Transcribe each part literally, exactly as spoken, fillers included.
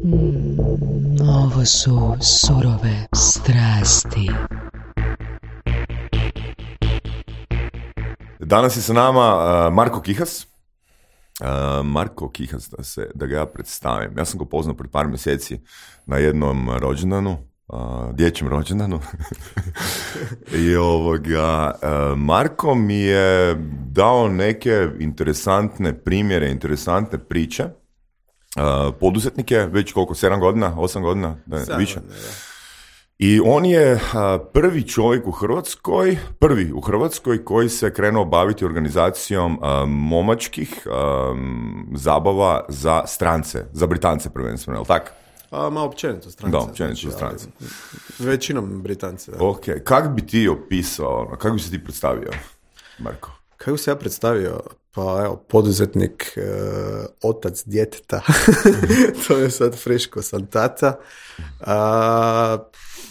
Mm, ovo su surove strasti. Danas je sa nama uh, Marko Kihas. Uh, Marko Kihas, da, se, da ga ja predstavim. Ja sam ga poznao pred par mjeseci na jednom rođendanu, uh, dječjem rođendanu. I ovoga, uh, Marko mi je dao neke interesantne primjere, interesantne priče. Uh, poduzetnike, već koliko, sedam godina, osam godina, da, više. Godina, da. I on je uh, prvi čovjek u Hrvatskoj, prvi u Hrvatskoj koji se krenuo baviti organizacijom uh, momačkih um, zabava za strance, za Britance prvenstveno, je li tako? A, ma općenito strance. Da, općenito znači, strance. Većinom Britance. Da. Ok, kako bi ti opisao, kako bi se ti predstavio, Marko? Kako bi se ja predstavio? Pa evo, poduzetnik, e, otac djeteta, to je sad friško, sam tata. A,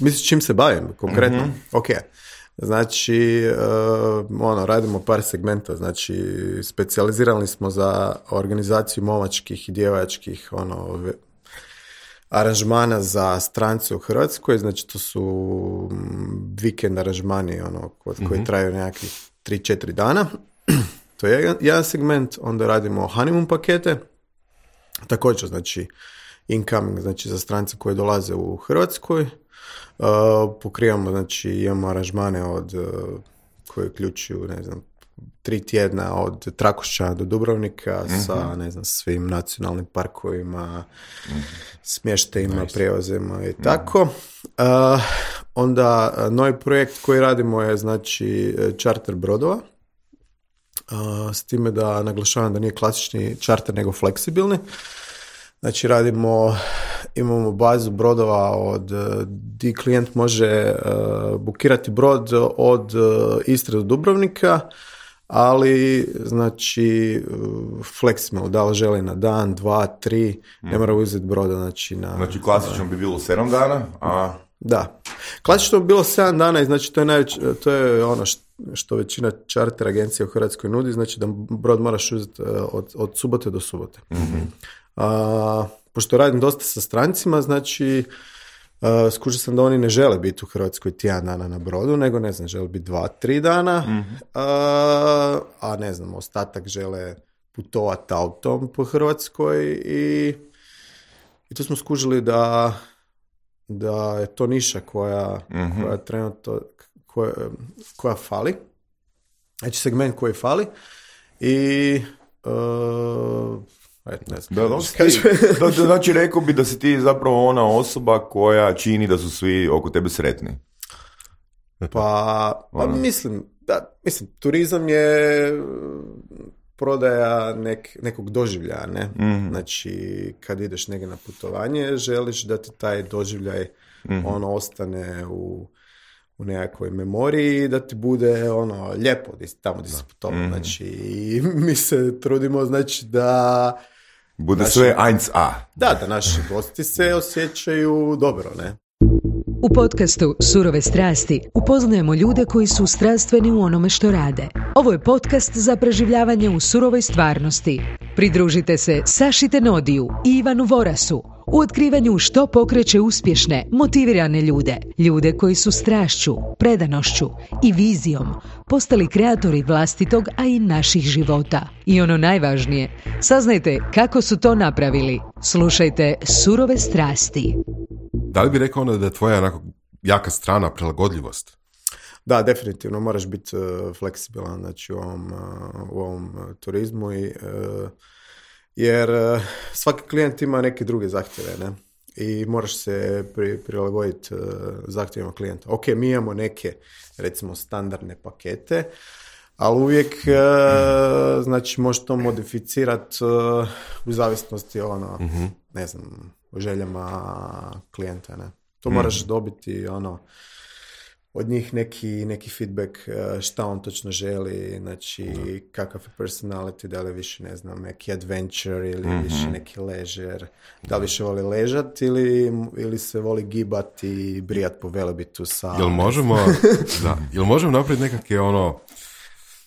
misliš čim se bavim konkretno? Mm-hmm. Ok, znači e, ono, radimo par segmenta, znači specijalizirali smo za organizaciju momačkih i djevačkih ono, aranžmana za strance u Hrvatskoj, znači to su vikend aranžmani ono, koji mm-hmm. traju nekakvih tri četiri dana. To je jedan segment, onda radimo honeymoon pakete, također znači incoming, znači za strance koji dolaze u Hrvatskoj, uh, pokrivamo, znači imamo aranžmane od, uh, koje uključuju, ne znam, tri tjedna od Trakošća do Dubrovnika mm-hmm. sa, ne znam, svim nacionalnim parkovima, mm-hmm. smještajima, nice. Prijevozima i mm-hmm. tako. Uh, onda uh, novi projekt koji radimo je, znači, charter brodova. Uh, s time da naglašavam da nije klasični charter nego fleksibilni. Znači radimo, imamo bazu brodova od di klijent može uh, bukirati brod od uh, Istre do Dubrovnika, ali znači uh, fleksibilno, da li želi na dan, dva, tri, mm. ne mora uzeti broda. Znači, na, znači klasično uh, bi bilo sedam dana, a... Da. Klasično bi bilo sedam dana i znači to je, najveć, to je ono što što većina charter agencija u Hrvatskoj nudi, znači da brod moraš uzeti od, od subote do subote. Mm-hmm. A, pošto radim dosta sa strancima, znači a, skužio sam da oni ne žele biti u Hrvatskoj tjedan dana na brodu, nego ne znam, žele biti dva, tri dana, mm-hmm. a, a ne znam, ostatak žele putovati autom po Hrvatskoj i, i tu smo skužili da, da je to niša koja, mm-hmm. koja trenutno Koja, koja fali, znači segment koji fali i uh, et, ne znam. Da, da, da, da, znači rekao bi da si ti zapravo ona osoba koja čini da su svi oko tebe sretni. Pa, pa mislim, da, mislim, turizam je prodaja nek, nekog doživljaja, ne? Mm-hmm. Znači, kad ideš negdje na putovanje, želiš da ti taj doživljaj mm-hmm. ono ostane u u nekakvoj memoriji, da ti bude ono lijepo tamo gdje si putovao. Mm. Znači, i mi se trudimo, znači, da bude naši, sve eins a. Da, da naši gosti se osjećaju dobro, ne? U podcastu Surove strasti upoznajemo ljude koji su strastveni u onome što rade. Ovo je podcast za preživljavanje u surovoj stvarnosti. Pridružite se Saši Tenodiju i Ivanu Vorasu u otkrivanju što pokreće uspješne, motivirane ljude. Ljude koji su strašću, predanošću i vizijom postali kreatori vlastitog, a i naših života. I ono najvažnije, saznajte kako su to napravili. Slušajte Surove strasti. Da li bi rekao onda da je tvoja onako jaka strana prilagodljivost? Da, definitivno moraš biti uh, fleksibilan, znači, u ovom, uh, u ovom uh, turizmu i, uh, jer uh, svaki klijent ima neke druge zahtjeve, ne? I moraš se pri, prilagoditi uh, zahtjevima klijenta. Ok, mi imamo neke, recimo, standardne pakete, ali uvijek uh, znači možeš to modificirati uh, u zavisnosti ono, mm-hmm. ne znam, o željama klijenta, ne? To mm. moraš dobiti ono od njih neki, neki feedback šta on točno želi, znači mm. kakav je personality, da li više, ne znam, neki adventure ili mm-hmm. više neki leisure, da li više voli ležat ili, ili se voli gibati i brijat po Velebitu sa... Jel možemo, da, jel možemo napraviti nekakve ono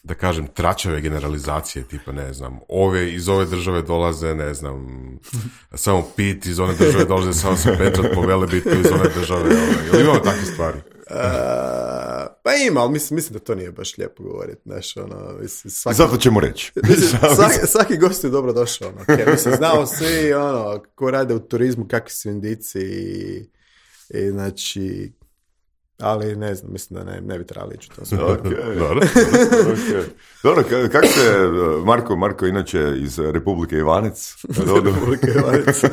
da kažem, tračave generalizacije, tipa, ne znam, ove iz ove države dolaze, ne znam, samo pit, iz one države dolaze, samo se petrat po Velebitu iz one države, ovaj, ili imamo takve stvari? Uh, pa ima, ali mislim, mislim da to nije baš lijepo govoriti, znaš, ono, mislim, svaki... Zato ćemo reći. Mislim, svaki, svaki gost je dobro došao, ono, okay. Mislim, znamo svi, ono, ko rade u turizmu, kakvi su indici i, i znači, ali ne znam, mislim da ne, ne bi trebali ići u tom smjeru. Okay. Dobro, okay. Dobro, kako se, Marko, Marko inače iz Republike Ivanec? Republike Ivanec.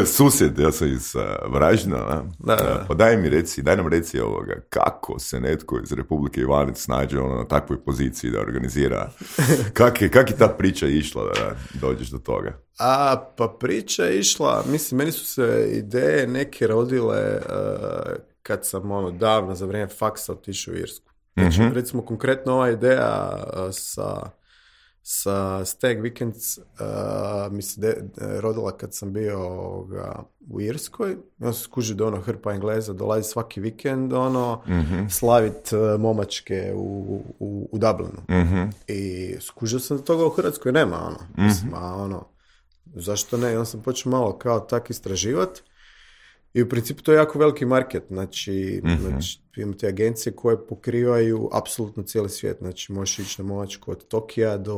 Susjed, ja sam iz uh, Varaždina, da, da. Pa daj mi reci, daj nam reci ovoga, kako se netko iz Republike Ivanec nađe ono, na takvoj poziciji da organizira, kak je, kak je ta priča išla da dođeš do toga? A, pa priča je išla, mislim, meni su se ideje neke rodile uh, kad sam ono, davno za vrijeme faksa otišao u Irsku. Znači, mm-hmm. recimo, konkretno ova ideja uh, sa sa Stag Weekends uh, mi se de, de, rodila kad sam bio ovoga, u Irskoj. Ja sam skužio da ono hrpa Engleza dolazi svaki vikend ono, mm-hmm. slavit uh, momačke u, u, u Dublinu. Mm-hmm. I skužio sam da toga u Hrvatskoj nema. Ono. Mm-hmm. Mislim, a ono, zašto ne? I onda sam počeo malo kao tak istraživati. I u principu to je jako veliki market, znači, mm-hmm. znači imate agencije koje pokrivaju apsolutno cijeli svijet, znači možeš ići na momačku od Tokija do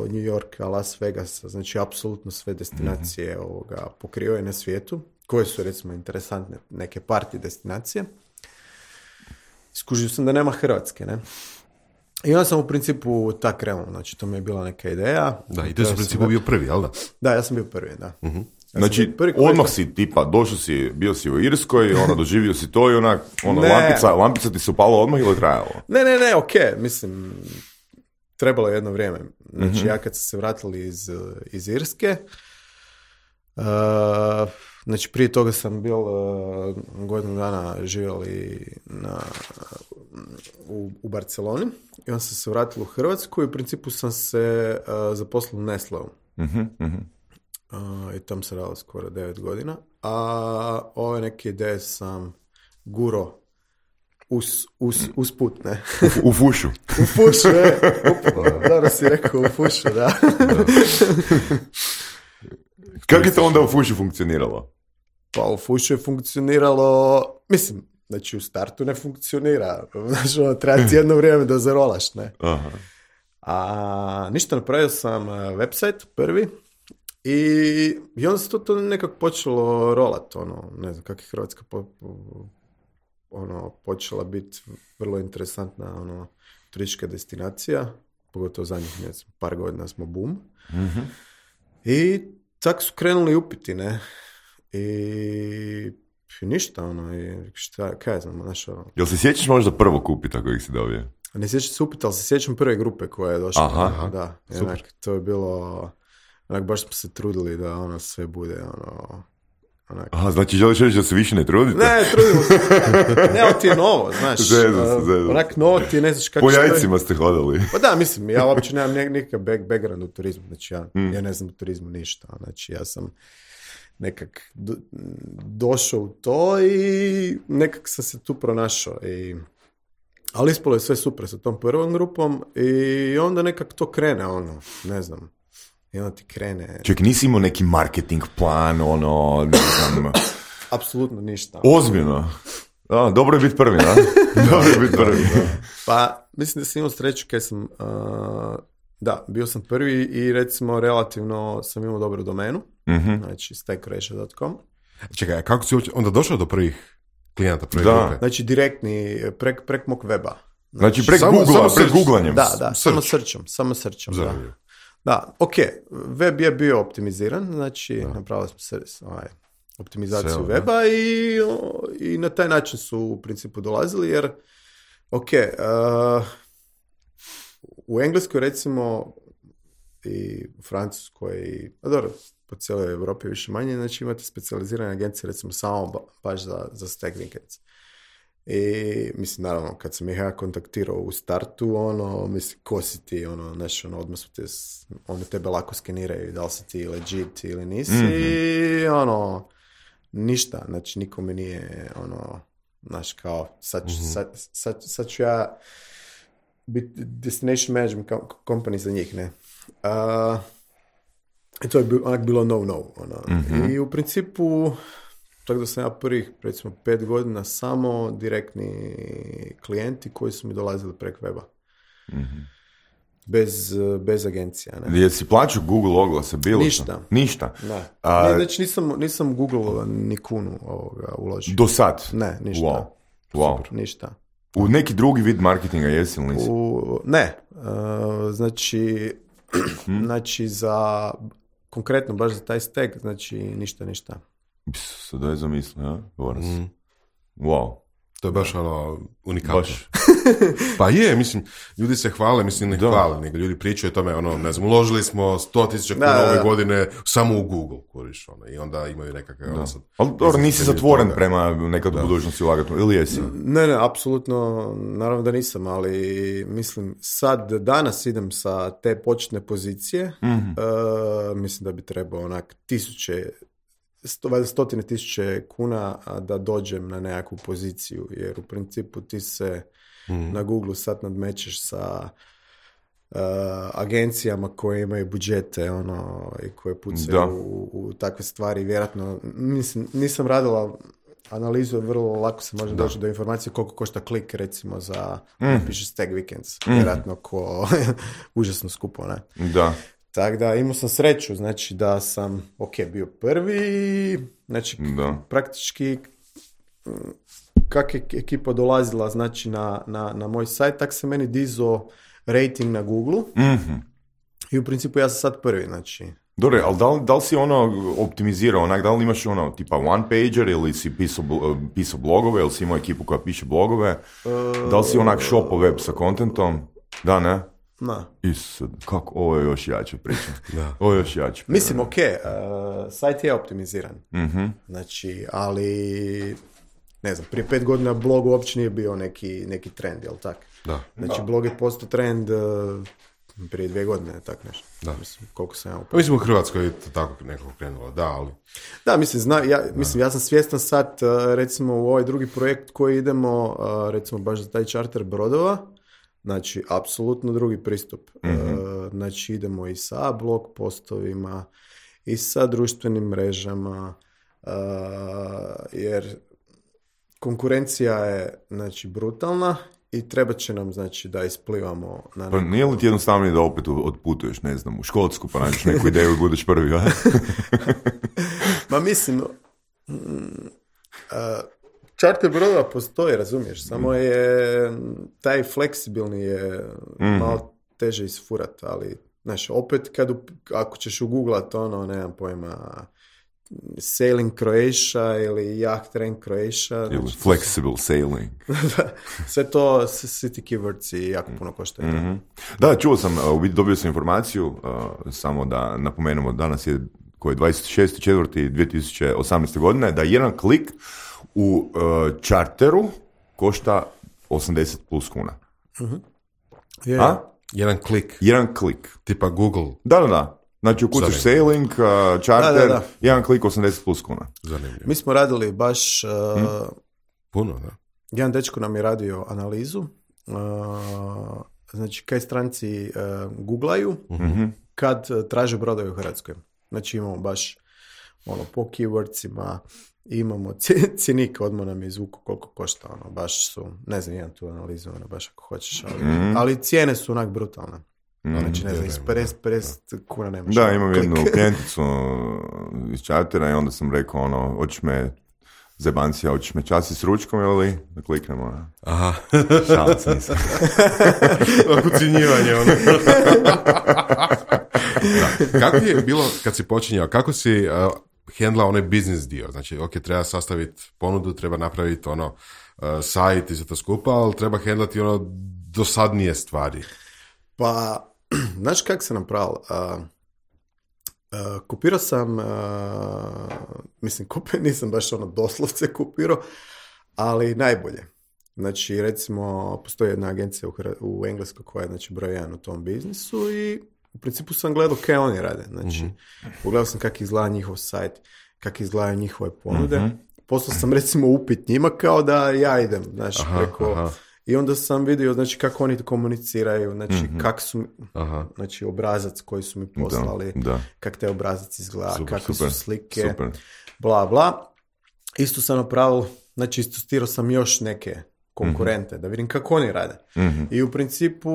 New Yorka, Las Vegasa, znači apsolutno sve destinacije mm-hmm. ovoga pokrivaju na svijetu, koje su recimo interesantne neke party destinacije. Skužio sam da nema Hrvatske, ne? I onda sam u principu tak krenuo, znači to mi je bila neka ideja. Da, i to je u principu bio prvi, jel da? Da, ja sam bio prvi, da. Mm-hmm. Ja znači, odmah si tipa, došao si, bio si u Irskoj, ono, doživio si to i onak, ono, lampica, lampica ti se upala odmah ili trajalo? Ne, ne, ne, okej, okay. Mislim, trebalo je jedno vrijeme. Znači, mm-hmm. ja kad sam se vratili iz, iz Irske, uh, znači, prije toga sam bil uh, godinu dana živjeli na, u, u Barceloni i onda sam se vratili u Hrvatsku i u principu sam se uh, zaposlio u Nestleom. Mhm, mhm. Uh, i tam se radilo skoro devet godina, a ove neke ideje sam guro us, us, usput, ne? U, u fušu. U fušu, ne? Dobro si rekao, u fušu, da. Kako je to onda u fušu funkcioniralo? Pa u fušu je funkcioniralo, mislim, znači u startu ne funkcionira, znači ono, treba ti jedno vrijeme da zarolaš, ne? Aha. A ništa, napravio sam website prvi, I, i onda se to, to nekako počelo rolat, ono, ne znam kako je Hrvatska po, ono, počela biti vrlo interesantna ono, turistička destinacija, pogotovo zadnjih ne znam, par godina smo boom. Mm-hmm. I tako su krenuli upiti, ne? I, i ništa, ono, i šta, kaj znam, znaš, ono. Jel se sjećaš možda prvog upita kojeg si dobio? Ne sjećam se upita, ali se sjećam prve grupe koja je došla. Aha, da, jednak, to je bilo... Onak, baš smo se trudili da ono sve bude, ono... Onak... Aha, znači želiš reći da se više ne trudite? Ne, trudimo se. Ne, ali ti je novo, znaš. Zezam se, zezam. Onak, novo ti ne znaš kako... Po jajcima ste hodali. Pa da, mislim, ja uopće nemam nekakav back, background u turizmu, znači ja, mm. ja ne znam u turizmu ništa, znači ja sam nekak do, došao u to i nekak sam se tu pronašao i... Ali ispalo je sve super sa tom prvom grupom i onda nekak to krene, ono, ne znam. I onda ti krene... Ček, nisi imao neki marketing plan, ono, ne znam... Apsolutno ništa. Ozbiljno? Da, dobro je biti prvi, da? Dobro je biti prvi, da. Pa, mislim da sam imao sreću kad sam... Uh, da, bio sam prvi i recimo relativno sam imao dobru domenu. Mm-hmm. Znači, stag croatia dot com. Čekaj, kako si onda došao do prvih klijenta, prvih da. grupe? Znači, direktni, prek, prek mog weba. Znači, prek samo, Google-a, samo prek googlanjem. Da, da, search. samo srčom, samo srčom, da. Da, ok, web je bio optimiziran, znači da. Napravili smo servis, ovaj, optimizaciju Sve, weba i, o, i na taj način su u principu dolazili, jer ok, uh, u Engleskoj recimo i u Francuskoj i, a dobro, po cijeloj Europi više manje, znači imate specijalizirane agencije recimo samo baš za, za stag weekends. I mislim, naravno, kad sam ih ja kontaktirao u startu, ono, mislim, ko si ti, ono, znaš, ono, odmah su te, oni tebe lako skeniraju, da li si ti legit ili nisi, mm-hmm. i ono, ništa, znači, nikome nije, ono, znaš, kao, sad, mm-hmm. sad, sad, sad ću ja biti destination management company za njih, ne. Uh, I to je bil, onak bilo no-no. Ono. Mm-hmm. I u principu, tako da sam ja prvih, recimo, pet godina samo direktni klijenti koji su mi dolazili preko weba. Mm-hmm. Bez, bez agencija. Ne. Jesi plaćao Google oglase? Bilo Ništa. Što? Ništa? Ne. A, ne, znači nisam, nisam Google ni kunu ovoga uložio. Do sad? Ne, ništa. Wow. Wow. Super, ništa. U neki drugi vid marketinga jesi ili nisi? U, ne. Uh, znači, hmm. znači za, konkretno baš za taj stack, znači ništa, ništa. Sada je zamislio, ja? Mm. Wow. To je baš ono unikatno. Pa je, mislim, ljudi se hvale, mislim ne da. hvale, nego ljudi pričaju o tome, ono, ne znam, uložili smo sto tisuća kuna ove da. godine samo u Google, kuriš, ono, i onda imaju nekakav... Ono, sad, ali dobro, nisi zatvoren toga. Prema nekad u budućnosti ulagati, ili jesi? Ne, ne, apsolutno, naravno da nisam, ali mislim, sad, danas idem sa te početne pozicije, mm-hmm. uh, mislim da bi trebao onak tisuće, sto, stotine tisuće kuna da dođem na nekakvu poziciju, jer u principu ti se mm. na Google sad nadmećeš sa uh, agencijama koje imaju budžete ono, i koje pucaju u, u takve stvari. Vjerojatno, mislim, nisam radila analizu, vrlo lako se može da. doći do informacije koliko košta klik, recimo, za mm. piše Stag Weekends. Mm. Vjerojatno ko užasno skupo, ne? Da. Tako da imao sam sreću, znači da sam, ok, bio prvi, znači da. praktički kak je ekipa dolazila znači na, na, na moj sajt, tak se meni dizao rating na Google mm-hmm. i u principu ja sam sad prvi, znači. Dobre, ali da li, da li si ono optimizirao, onak, da li imaš ono tipa one pager ili si pisao, pisao blogove ili si imao ekipu koja piše blogove, uh, da li si onak shopao web sa kontentom, da ne? Na. Isud, kako, ovo je još jače priča. Da. Ovo je još jače. Mislim, ok, uh, sajt je optimiziran. Mm-hmm. Znači, ali, ne znam, prije pet godina blog uopće nije bio neki, neki trend, jel tak? Da. Znači, da. blog je postao trend uh, prije dvije godine, tak nešto. Da. Mislim, koliko sam ja upravo. Mislim, u Hrvatskoj je tako nekako krenulo, da, ali... Da, mislim, zna, ja, mislim, ja sam svjestan sad, uh, recimo, u ovaj drugi projekt koji idemo, uh, recimo, baš za taj charter brodova, znači, apsolutno drugi pristup. Mm-hmm. Uh, znači, idemo i sa blog postovima, i sa društvenim mrežama, uh, jer konkurencija je, znači, brutalna i treba će nam, znači, da isplivamo na neko... Pa nije li ti jednostavnije da opet odputuješ, ne znam, u Škotsku, pa nađeš neku ideju i budeš prvi, a? Ma mislim... Mm, uh, Charter brodova postoji, razumiješ, samo je taj fleksibilni je mm-hmm. malo teže isfurat, ali znaš, opet kad u, ako ćeš uguglat ono, nemam pojma, Sailing Croatia ili Yacht Train Croatia. Ili znači, flexible sailing. Sve to, city keywords i jako puno košta. Mm-hmm. Da, čuo sam, dobio sam informaciju, uh, samo da napomenemo, danas je koji je dvadeset šesti četvrti dvije tisuće osamnaeste. godine, da jedan klik u uh, charteru košta osamdeset plus kuna. Uh-huh. Yeah. A? Jedan klik. Jedan klik. Tipa Google. Da, da, da. Znači ukucaš sailing, uh, charter, da, da, da. jedan klik osamdeset plus kuna. Zanimljivo. Mi smo radili baš... Uh, hmm? Puno, da. Jedan dečko nam je radio analizu. Uh, znači, kaj stranci uh, googlaju uh-huh. kad uh, traže brodove u Hrvatskoj. Znači, imamo baš ono, po keywordsima, imamo cjenik, odmah nam je izvuku koliko košta, ono, baš su, ne znam, imam tu analizu, ono, baš ako hoćeš, ali, mm-hmm. ali cijene su onak brutalne. Mm-hmm. Znači, ne znam, iz pedeset kuna nemaš. Da, imam klik. Jednu klijenticu iz chartera i onda sam rekao, ono, hoćeš me zebancija, hoćeš me časti s ručkom ili da kliknemo, ono. Aha. Šalac nisam. Ucjenjivanje, ono. Kako je bilo kad si počinjao, kako si... Uh, handla onaj biznis dio, znači ok, treba sastaviti ponudu, treba napraviti ono uh, sajt i sve to skupa, ali treba handlati ono dosadnije stvari. Pa, znaš kak sam napravil? Uh, uh, kupirao sam, uh, mislim, kupio, nisam baš ono doslovce kupirao, ali najbolje. Znači, recimo, postoji jedna agencija u, u Engleskoj koja je, znači, broj jedan u tom biznisu i u principu sam gledao kaj oni rade. Znači, mm-hmm. pogledao sam kako izgleda njihov sajt, kako izgledaju njihove ponude. Mm-hmm. Poslao sam recimo upit njima kao da ja idem, znaš, aha, preko aha. I onda sam vidio, znači, kako oni komuniciraju, znači, mm-hmm. kak su, Aha. znači, obrazac koji su mi poslali, da, da. kak te obrazac izgleda, Super, kakve super, su slike, super. bla, bla. Isto sam napravil, znači, istostirao sam još neke konkurente, mm-hmm. da vidim kako oni rade. Mm-hmm. I u principu,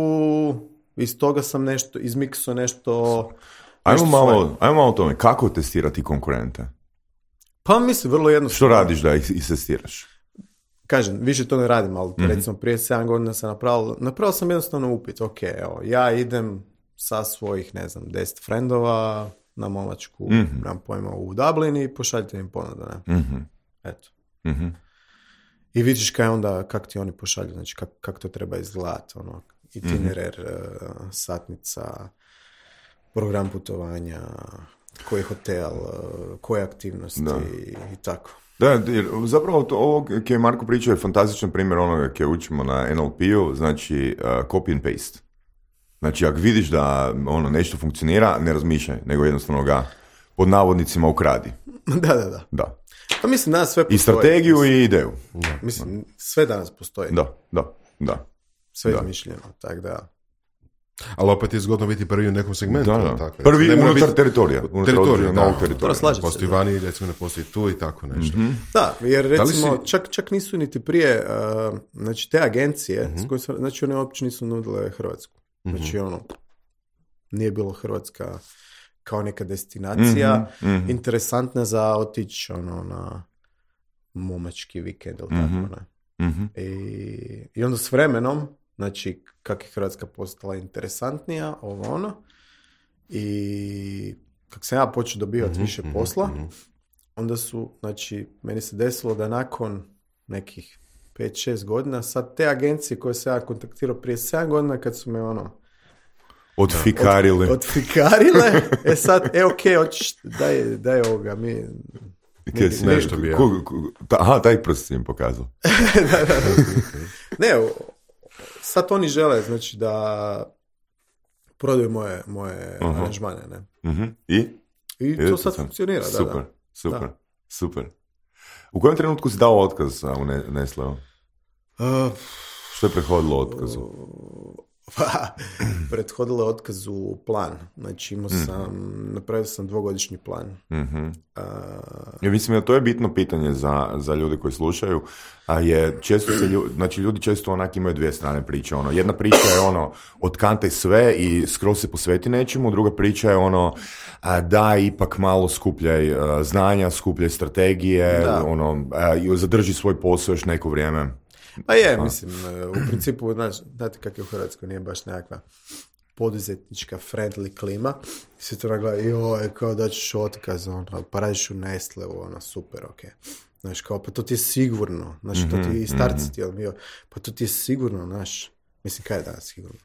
iz toga sam nešto, izmiksao nešto... Ajmo malo, ajmo malo o tome, kako testirati konkurente? Pa mislim, vrlo jednostavno. Što radiš da ih istestiraš? Kažem, više to ne radim, ali mm-hmm. recimo prije sedam godina sam napravil, napravil sam jednostavno upit, ok, evo, ja idem sa svojih, ne znam, deset frendova na momačku, mm-hmm. nam pojma u Dublin i pošaljite im ponudu, ne? Mm-hmm. Eto. Mm-hmm. I vidiš kaj onda, kak ti oni pošalju, znači kak, kak to treba izgledati, ono, itinerer, mm-hmm. uh, satnica, program putovanja, koji hotel, uh, koje aktivnosti da. i, i tako. Da, jer zapravo to, ovo koje je Marko pričao je fantastičan primjer onoga koje učimo na N L P-u, znači uh, copy and paste. Znači, ako vidiš da ono nešto funkcionira, ne razmišljaj, nego jednostavno ga pod navodnicima ukradi. Da, da, da. Da. Pa mislim, danas sve postoji. I strategiju mislim, i ideju. Da. Mislim, sve danas postoji. Da, da, da. Sve da. izmišljeno, tako da... Ali opet je zgodno biti prvi u nekom segmentu. Da, da. Tako, prvi unutar biti... teritorija. Unutar teritorija, novog da. teritorija. Slažem postoji se, vani, recimo ne postoji tu i tako nešto. Mm-hmm. Da, jer recimo, si... čak, čak nisu niti prije, uh, znači te agencije, mm-hmm. s koje su, znači one uopće nisu nudile Hrvatsku. Mm-hmm. Znači ono, nije bilo Hrvatska kao neka destinacija, mm-hmm. interesantna za otići ono, na momački vikend ili mm-hmm. tako, ne. Mm-hmm. I, I onda s vremenom, znači, kak je Hrvatska postala interesantnija, ovo ono, i kak sam ja počeo dobivati mm-hmm, više posla, mm-hmm. onda su, znači, meni se desilo da nakon nekih pet šest godina, sad te agencije koje sam ja kontaktirao prije sedam godina, kad su me ono... Odfikarile. Od, odfikarile, e sad, e ok, hoćeš, daj, daj ovoga, mi... Mi, mi, nešto bi ja. Ku, ku, ta, aha, taj prst im pokazao. da, da, da. Ne, sad oni žele, znači, da prodaju moje, moje uh-huh. aranžmane, ne? Uh-huh. I? I I to sad sam. Funkcionira, da, super, da. Super, da. super. U kojem trenutku si dao otkaz u Nestleu? Uh, Što je prethodilo otkazu? Uh, pa, prethodilo je otkazu plan. Znači, imao sam, mm-hmm. napravio sam dvogodišnji plan. Mm-hmm. Uh, ja mislim da to je bitno pitanje za, za ljude koji slušaju, a je često se ljudi, znači ljudi često onak imaju dvije strane priče. Ono, jedna priča je ono, otkantaj sve i skroz se posveti nečemu, druga priča je ono, a, da ipak malo skupljaj a, znanja, skupljaj strategije, da. ono, a, i zadrži svoj posao još neko vrijeme. Pa je, mislim, u principu, znaš, znate kako je u Hrvatskoj, nije baš nekakva poduzetnička friendly klima. Svi to nagleda, joj, kao da ćeš otkaz, ono, pa radiš u Nestleu, ono, super, ok. Znaš, kao, pa to ti je sigurno, znaš, mm-hmm, to ti i starci ti, mm-hmm. pa to ti je sigurno, znaš, mislim, kaj je danas sigurno?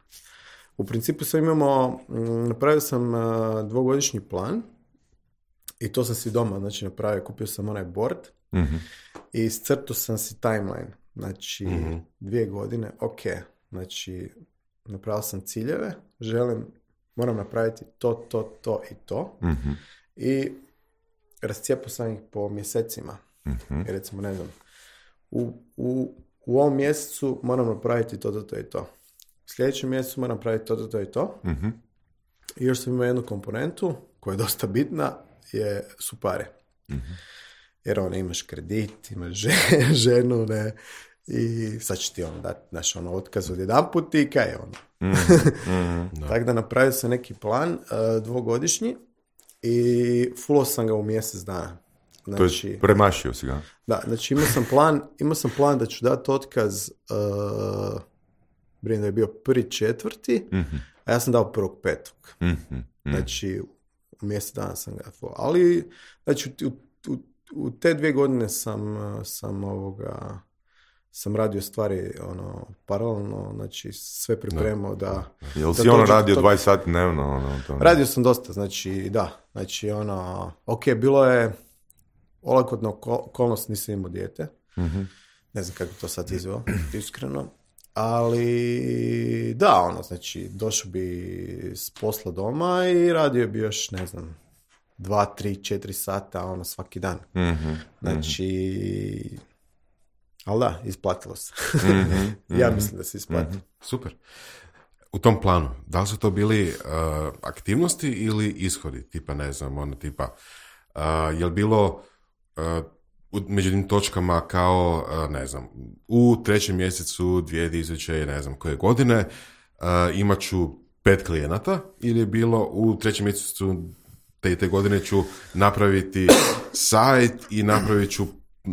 U principu sam imamo, napravio sam uh, dvogodišnji plan i to sam si doma, znači, napravio, kupio sam onaj board mm-hmm. i iscrtao sam si timeline. Znači, mm-hmm. dvije godine, ok, znači, napravio sam ciljeve, želim, moram napraviti to, to, to i to. Mm-hmm. I rascijepao sam ih po mjesecima. Mm-hmm. I recimo, ne znam, u, u, u ovom mjesecu moram napraviti to, to, to i to. U sljedećem mjesecu moram napraviti to, to, to i to. Mm-hmm. I još sam imao jednu komponentu, koja je dosta bitna, je, su pare. Mm-hmm. Jer ono, imaš kredit, imaš ženu, ne, i sad će ti ono dati naš ono otkaz od jedan put i kaj je ono. Mm-hmm. no. Tako da napravio sam neki plan uh, dvogodišnji i fullo sam ga u mjesec dana. Znači, to je premašio si ga. Da, znači imao sam plan, imao sam plan da ću dati otkaz, uh, brinem da je bio prvi četvrti, mm-hmm. a ja sam dao prvog petog. Mm-hmm. Znači, u mjesec dana sam ga fullo. Ali, znači, u, u U te dvije godine sam, sam ovoga, sam radio stvari ono, paralelno, znači sve pripremao da... da Jel si ono radio to... dvadeset sati dnevno? Ono, to... Radio sam dosta, znači da, znači ono, ok, bilo je olakotna okolnost, nisam imao dijete, mm-hmm. ne znam kako to sad izveo, iskreno, ali da, ono, znači došao bi s posla doma i radio bi još, ne znam, dva, tri, četiri sata, ono, svaki dan. Mm-hmm. Znači, Ali da, isplatilo se. Mm-hmm. ja mislim da se isplatilo. Mm-hmm. Super. U tom planu, da li su to bili uh, aktivnosti ili ishodi? Tipa, ne znam, ono tipa, uh, je li bilo uh, među tim točkama kao, uh, ne znam, u trećem mjesecu dvije tisuće, ne znam koje godine, uh, imat ću pet klijenata, ili je bilo u trećem mjesecu te, te godine ću napraviti sajt i napravit ću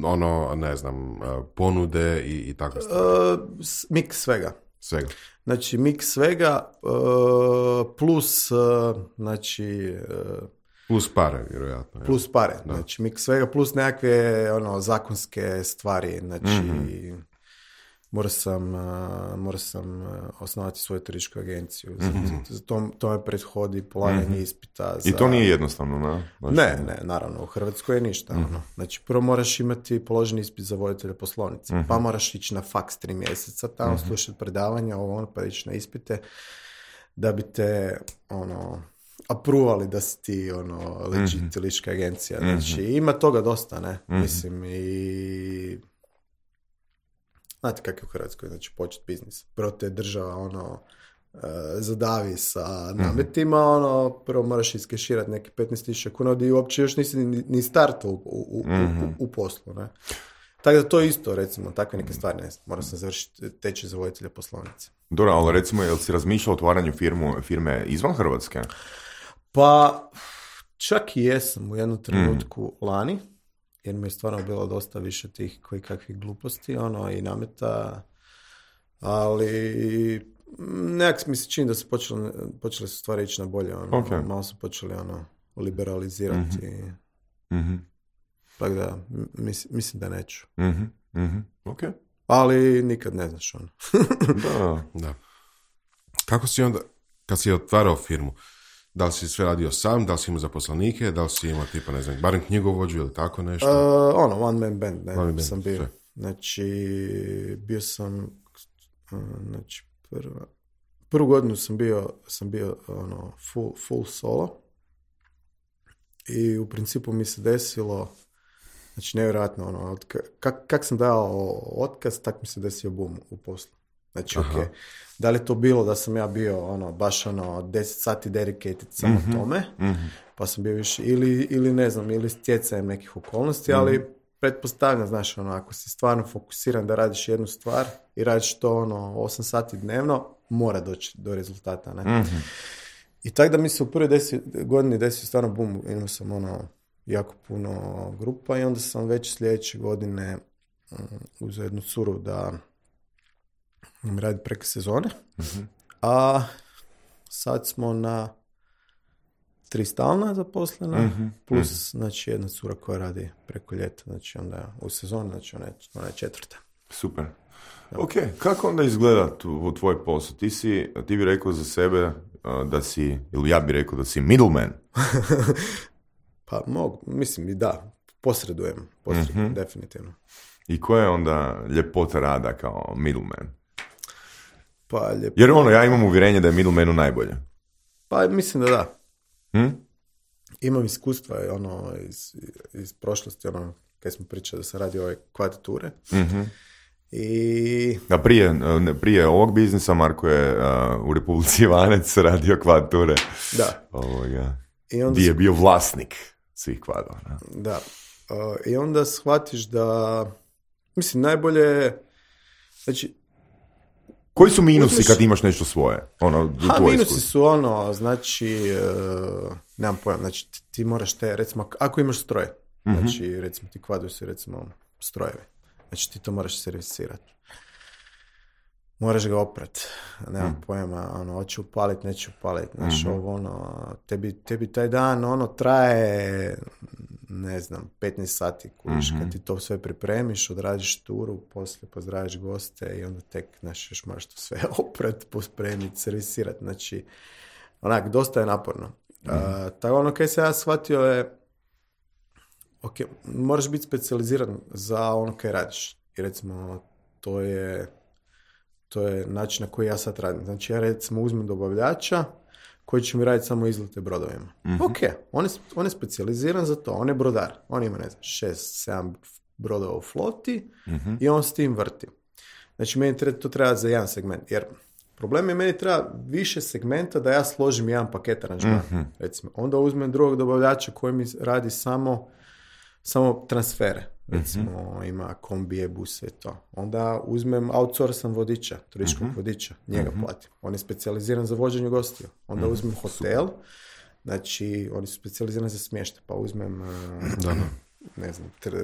ono, ne znam, ponude i, i tako stvari? Uh, mix svega. Svega. Znači, mix svega uh, plus, uh, znači... Uh, plus pare, vjerojatno. Plus pare, da. Znači, mix svega plus nekakve, ono, zakonske stvari, znači... Mm-hmm. Morao sam, uh, morao sam uh, osnovati svoju turističku agenciju. Mm-hmm. Za to, to me prethodi polaganje mm-hmm. ispita. Za... I to nije jednostavno, ne? Baš ne, ne, naravno, u Hrvatskoj je ništa. Mm-hmm. Ono. Znači, prvo moraš imati položeni ispit za voditelja poslovnice, mm-hmm. pa moraš ići na faks tri mjeseca, tamo mm-hmm. slušati predavanja, ovo ono, pa ići na ispite, da bi te, ono, apruvali da si ti, ono, legit mm-hmm. turistička agencija. Znači, mm-hmm. ima toga dosta, ne? Mm-hmm. Mislim, i... Znate kako je u Hrvatskoj, znači počet biznis. Prvo te država ono uh, zadavi sa nametima, mm-hmm. ono, prvo moraš iskeširati neki petnaest tisuća kuna, gdje uopće još nisi ni, ni startao u, u, mm-hmm. u, u poslu, ne. Tako da to isto, recimo, takve neke stvari, ne znam, moram sam završiti tečaj za voditelja poslovnice. Dobro, ali recimo, jel si razmišljao o otvaranju firmu, firme izvan Hrvatske? Pa, čak i jesam u jednom trenutku mm. lani, jer mi je stvarno bilo dosta više tih koji kakvih gluposti, ono, i nameta, ali nekak mi se čini da su počeli, počeli su stvari ići na bolje, ono, okay. malo su počeli, ono, liberalizirati. Mm-hmm. Mm-hmm. Tako da, mis, mislim da neću. Mm-hmm. Mm-hmm. Ok. Ali nikad ne znaš, ono. da, da. Kako si onda, kad si otvarao firmu, da li si sve radio sam, da li si imao zaposlenike, da li si imao tipa, ne znam, barem knjigovođu ili tako nešto? Uh, ono, one man band, ne, one man sam band, bio. sve. Znači, bio sam, uh, znači, prva, prvu godinu sam bio, sam bio, ono, full, full solo i u principu mi se desilo, znači, nevjerojatno, ono, kak, kak sam dao otkaz, tak mi se desio boom u poslu. Znači, ok, da li to bilo da sam ja bio, ono, baš, ono, deset sati dedicated samo mm-hmm. tome, mm-hmm. pa sam bio više, ili, ili ne znam, ili stjecajem nekih okolnosti, mm-hmm. ali pretpostavljam, znaš, ono, ako si stvarno fokusiran da radiš jednu stvar i radiš to, ono, osam sati dnevno, mora doći do rezultata, ne? Mm-hmm. I tako da mi se u prvoj desi, godini desio stvarno boom, imao sam, ono, jako puno grupa i onda sam već sljedeće godine um, uzeo jednu curu da mi radi preko sezone, mm-hmm. a sad smo na tri stalna zaposlena, mm-hmm. plus mm-hmm. znači jedna cura koja radi preko ljeta, znači onda u sezoni, znači ona je, ona je četvrta. Super. Da. Ok, kako onda izgleda u tvoj posao? Ti si, ti bi rekao za sebe uh, da si, ili ja bi rekao da si middleman. Pa mogu, mislim i da, posredujem, posredujem, mm-hmm. definitivno. I koja je onda ljepota rada kao middleman? Pa, ljepota... Jer ono, ja imam uvjerenje da je middlemanu najbolje. Pa mislim da da. Hm? Imam iskustva ono, iz, iz prošlosti, ono, kad smo pričali da se radi ove kvadrature. Mm-hmm. I... A prije, prije ovog biznisa Marko je uh, u Republici Ivanec radio kvadrature. Da. Ovoga. I onda gdje je bio vlasnik svih kvadra. Da. Uh, I onda shvatiš da, mislim, najbolje, znači, koji su minusi uzmeš... kad imaš nešto svoje? Ono, ha, minusi iskustvo. Su ono, znači, uh, nemam pojam, znači, ti, ti moraš te, recimo, ako imaš stroj, mm-hmm. znači, recimo, ti kvadru su, recimo, strojevi, znači, ti to moraš servisirati. Moraš ga oprat, nemam mm. pojma, ono, hoće upalit, neće upalit, znači, mm-hmm. ovo, ono, tebi, tebi taj dan, ono, traje, ne znam, petnaest sati, kužiš, mm-hmm. kad ti to sve pripremiš, odradiš turu, poslije pozdraviš goste i onda tek, znači, još moraš to sve oprat, pospremiti, servisirati, znači, onak, dosta je naporno. Mm-hmm. Uh, tako ono, kaj se ja shvatio je, ok, moraš biti specijaliziran za ono kaj radiš, i recimo, to je... To je način na koji ja sad radim. Znači, ja recimo uzmem dobavljača koji će mi raditi samo izlete brodovima. Mm-hmm. Ok, on je, on je specijaliziran za to, on je brodar. On ima, ne znam, šest, sedam brodova u floti uh-huh. i on s tim vrti. Znači, meni treba, to treba za jedan segment, jer problem je, meni treba više segmenta da ja složim jedan paket aranžmana. Uh-huh. Recimo, onda uzmem drugog dobavljača koji mi radi samo, samo transfere. Recimo, uh-huh. ima kombije, buse i to. Onda uzmem outsourcam vodiča, turističkog uh-huh. vodiča, njega uh-huh. platim. On je specijaliziran za vođenje gostiju. Onda uh-huh. uzmem hotel, super. Znači, oni su specijalizirani za smještaj, pa uzmem, da, ne znam, tra,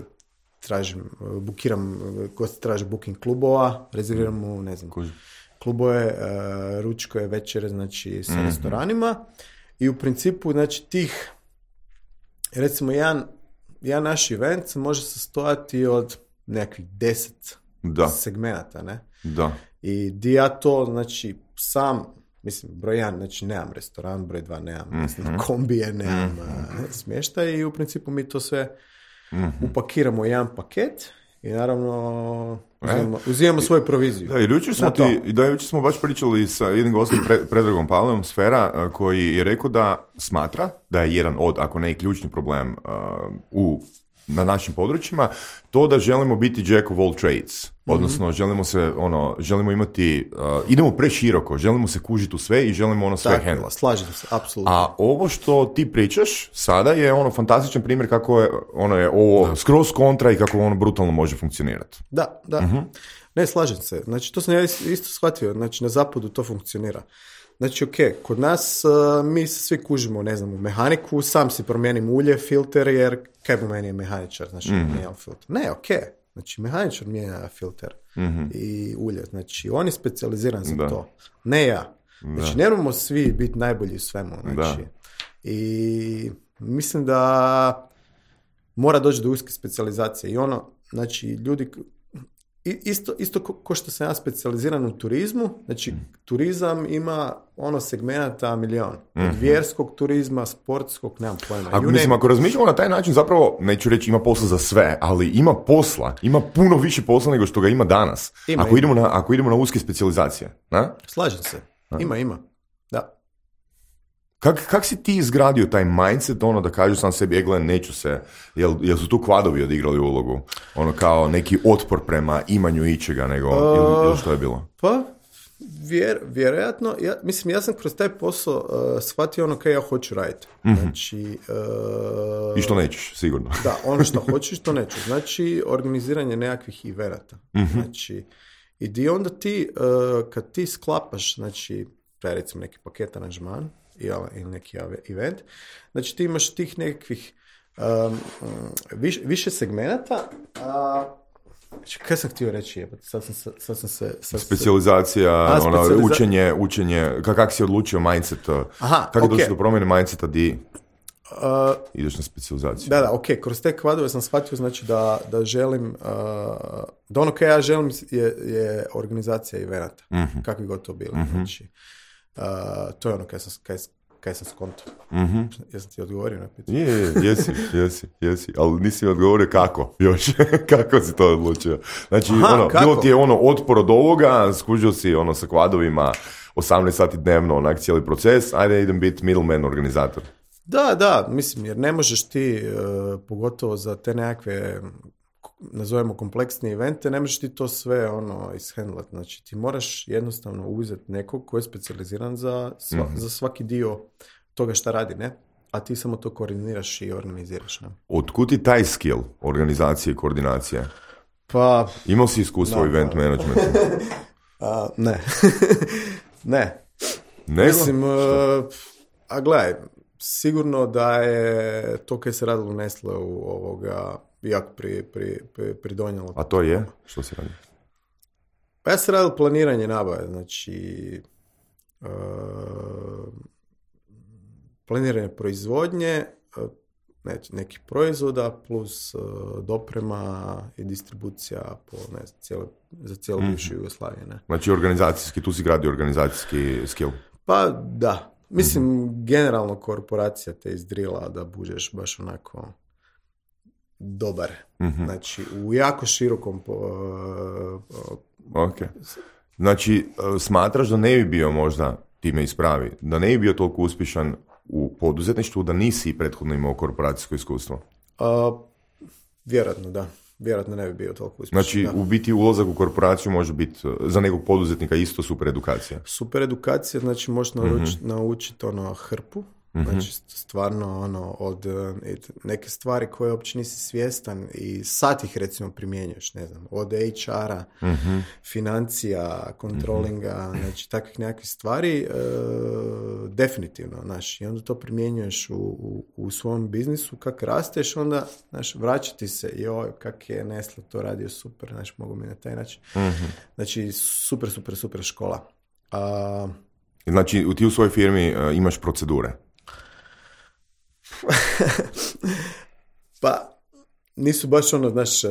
tražim, bukiram, gosti traže booking klubova, rezerviram mu, ne znam, Kuži. klubove, uh, ručkoje, večere, znači, sa mm-hmm. restoranima i u principu, znači, tih, recimo, jedan, jedan naš event može sastojati od nekakvih deset da. segmenata, ne? Da. I di ja to, znači, sam... Mislim, broj jedan, znači nemam restoran, broj dva nemam mm-hmm. mislim, kombije, nemam mm-hmm. smještaj i u principu mi to sve mm-hmm. upakiramo u jedan paket i naravno uzimamo, e? uzimamo svoju proviziju. Da, i jučer smo, ti, da, jučer smo baš pričali sa jednim gostom, pre, Predragom Pavlom, Sfera, koji je rekao da smatra da je jedan od, ako ne i ključni problem uh, u na našim područjima, to da želimo biti jack of all trades. Odnosno, mm-hmm. želimo se, ono, želimo imati, uh, idemo preširoko, želimo se kužiti u sve i želimo ono sve handla. Slažem se, apsolutno. A ovo što ti pričaš sada je ono fantastičan primjer kako je, ono je ovo da. skroz kontra i kako ono brutalno može funkcionirati. Da, da. Mm-hmm. Ne, slažem se. Znači, to sam ja isto shvatio. Znači, na zapadu to funkcionira. Znači, ok, kod nas uh, mi se svi kužimo, ne znam, u mehaniku, sam si promijenim ulje, filter, jer kaj bu meni je mehaničar, znači, mm-hmm. mijenjam filter. Ne, ok, znači, mehaničar mijenja filter mm-hmm. i ulje, znači, on je specijaliziran za da. to, ne ja. Znači, ne moramo svi biti najbolji u svemu, znači, da. i mislim da mora doći do uske specijalizacije i ono, znači, ljudi... Isto, isto ko, ko što sam ja specijaliziran u turizmu, znači mm. turizam ima ono segmenata milion. Mm-hmm. Od vjerskog turizma, sportskog, nemam pojma. Ako, mislim, ako razmišljamo na taj način, zapravo, neću reći ima posla za sve, ali ima posla, ima puno više posla nego što ga ima danas. Ima, ako, ima. Idemo na, ako idemo na uske specijalizacije. Na? Slažem se. Na? Ima, ima. Da. Kak, kak si ti izgradio taj mindset, ono da kažu sam sebi, egle, neću se, jel, jel su tu kvadovi odigrali ulogu? Ono kao neki otpor prema imanju ičega, nego, uh, ili, ili što je bilo? Pa, vjer, vjerojatno, ja, mislim, ja sam kroz taj posao uh, shvatio ono kaj ja hoću raditi. Mm-hmm. Znači... Uh, I što nećeš, sigurno. Da, ono što hoću, što neću. Znači, organiziranje nekakvih iverata. Mm-hmm. Znači, i di onda ti, uh, kad ti sklapaš, znači, taj recimo neki paket aranžman, ili neki event. Znači ti imaš tih nekakvih um, viš, više segmenata. A, znači, kaj sam htio reći? Je, sad sam se... Sad sam se sad specijalizacija, a, ona, specijaliza... učenje, učenje, kak, kak si odlučio mindset? Aha, kako okay. došli do promjene mindseta di uh, ideš na specijalizaciju? Da, da, ok. Kroz te kvadove sam shvatio znači da, da želim, uh, da ono kaj ja želim je, je organizacija evenata. Mm-hmm. Kakvi god to bili. Mm-hmm. Znači, Uh, to je ono kaj sam, kaj, kaj sam skonto. Mm-hmm. Jesam ti odgovorio na pitanje? Je, je, jesi, jesi, jesi. Ali nisi mi odgovorio kako još. Kako si to odlučio? Znači, aha, ono, bilo ti je ono otpor od ovoga, skužio si ono sa kvadovima osamnaest sati dnevno, onak cijeli proces, ajde idem biti middleman organizator. Da, da, mislim, jer ne možeš ti, uh, pogotovo za te nekakve, nazovemo kompleksne evente, ne možeš ti to sve ono ishendlat. Znači ti moraš jednostavno uzeti nekog koji je specijaliziran za, sva, mm-hmm. za svaki dio toga šta radi, ne? A ti samo to koordiniraš i organiziraš. Ne? Otkud ti taj skill organizacije i koordinacije? Pa... Imao si iskustvo u event managementu? a, ne. ne. Nego? Mislim, uh, a gledaj, sigurno da je to kaj se radilo u Nestle u ovoga jako pri, pri, pri, pridonjalo. A to je? Što si radio? Pa ja sam radio planiranje nabave, znači uh, planiranje proizvodnje, uh, ne, nekih proizvoda plus uh, doprema i distribucija po, ne znam, cijele, za cijelu mm-hmm. bivšu Jugoslaviju. Ne? Znači organizacijski, tu si gradio organizacijski skill? Pa da. Mislim, mm-hmm. generalno korporacija te izdrila da budeš baš onako dobar. Mm-hmm. Znači, u jako širokom... Po, uh, ok. Znači, smatraš da ne bi bio možda, ti me ispravi, da ne bi bio toliko uspješan u poduzetništvu da nisi prethodno imao korporacijsko iskustvo? Uh, vjerojatno, da. vjerojatno ne bi bio toliko uspješan. Znači, da. u biti ulazak u korporaciju može biti za nekog poduzetnika isto super edukacija. Super edukacija, znači možeš naučiti mm-hmm. naučiti ono hrpu, mm-hmm. znači stvarno ono od neke stvari koje uopće nisi svjestan i sad ih recimo primjenjuješ, ne znam, od H R-a, mm-hmm. financija, kontrolinga, mm-hmm. znači takvih nekakvih stvari, e, definitivno, znaš, i onda to primjenjuješ u, u, u svom biznisu, kak rasteš, onda, znaš, vraćati se, joj, kak je Nestle to radio super, znaš, mogu mi na taj način. Mm-hmm. Znači, super, super, super škola. A, znači, ti u svojoj firmi uh, imaš procedure? Pa, nisu baš ono, znaš, uh,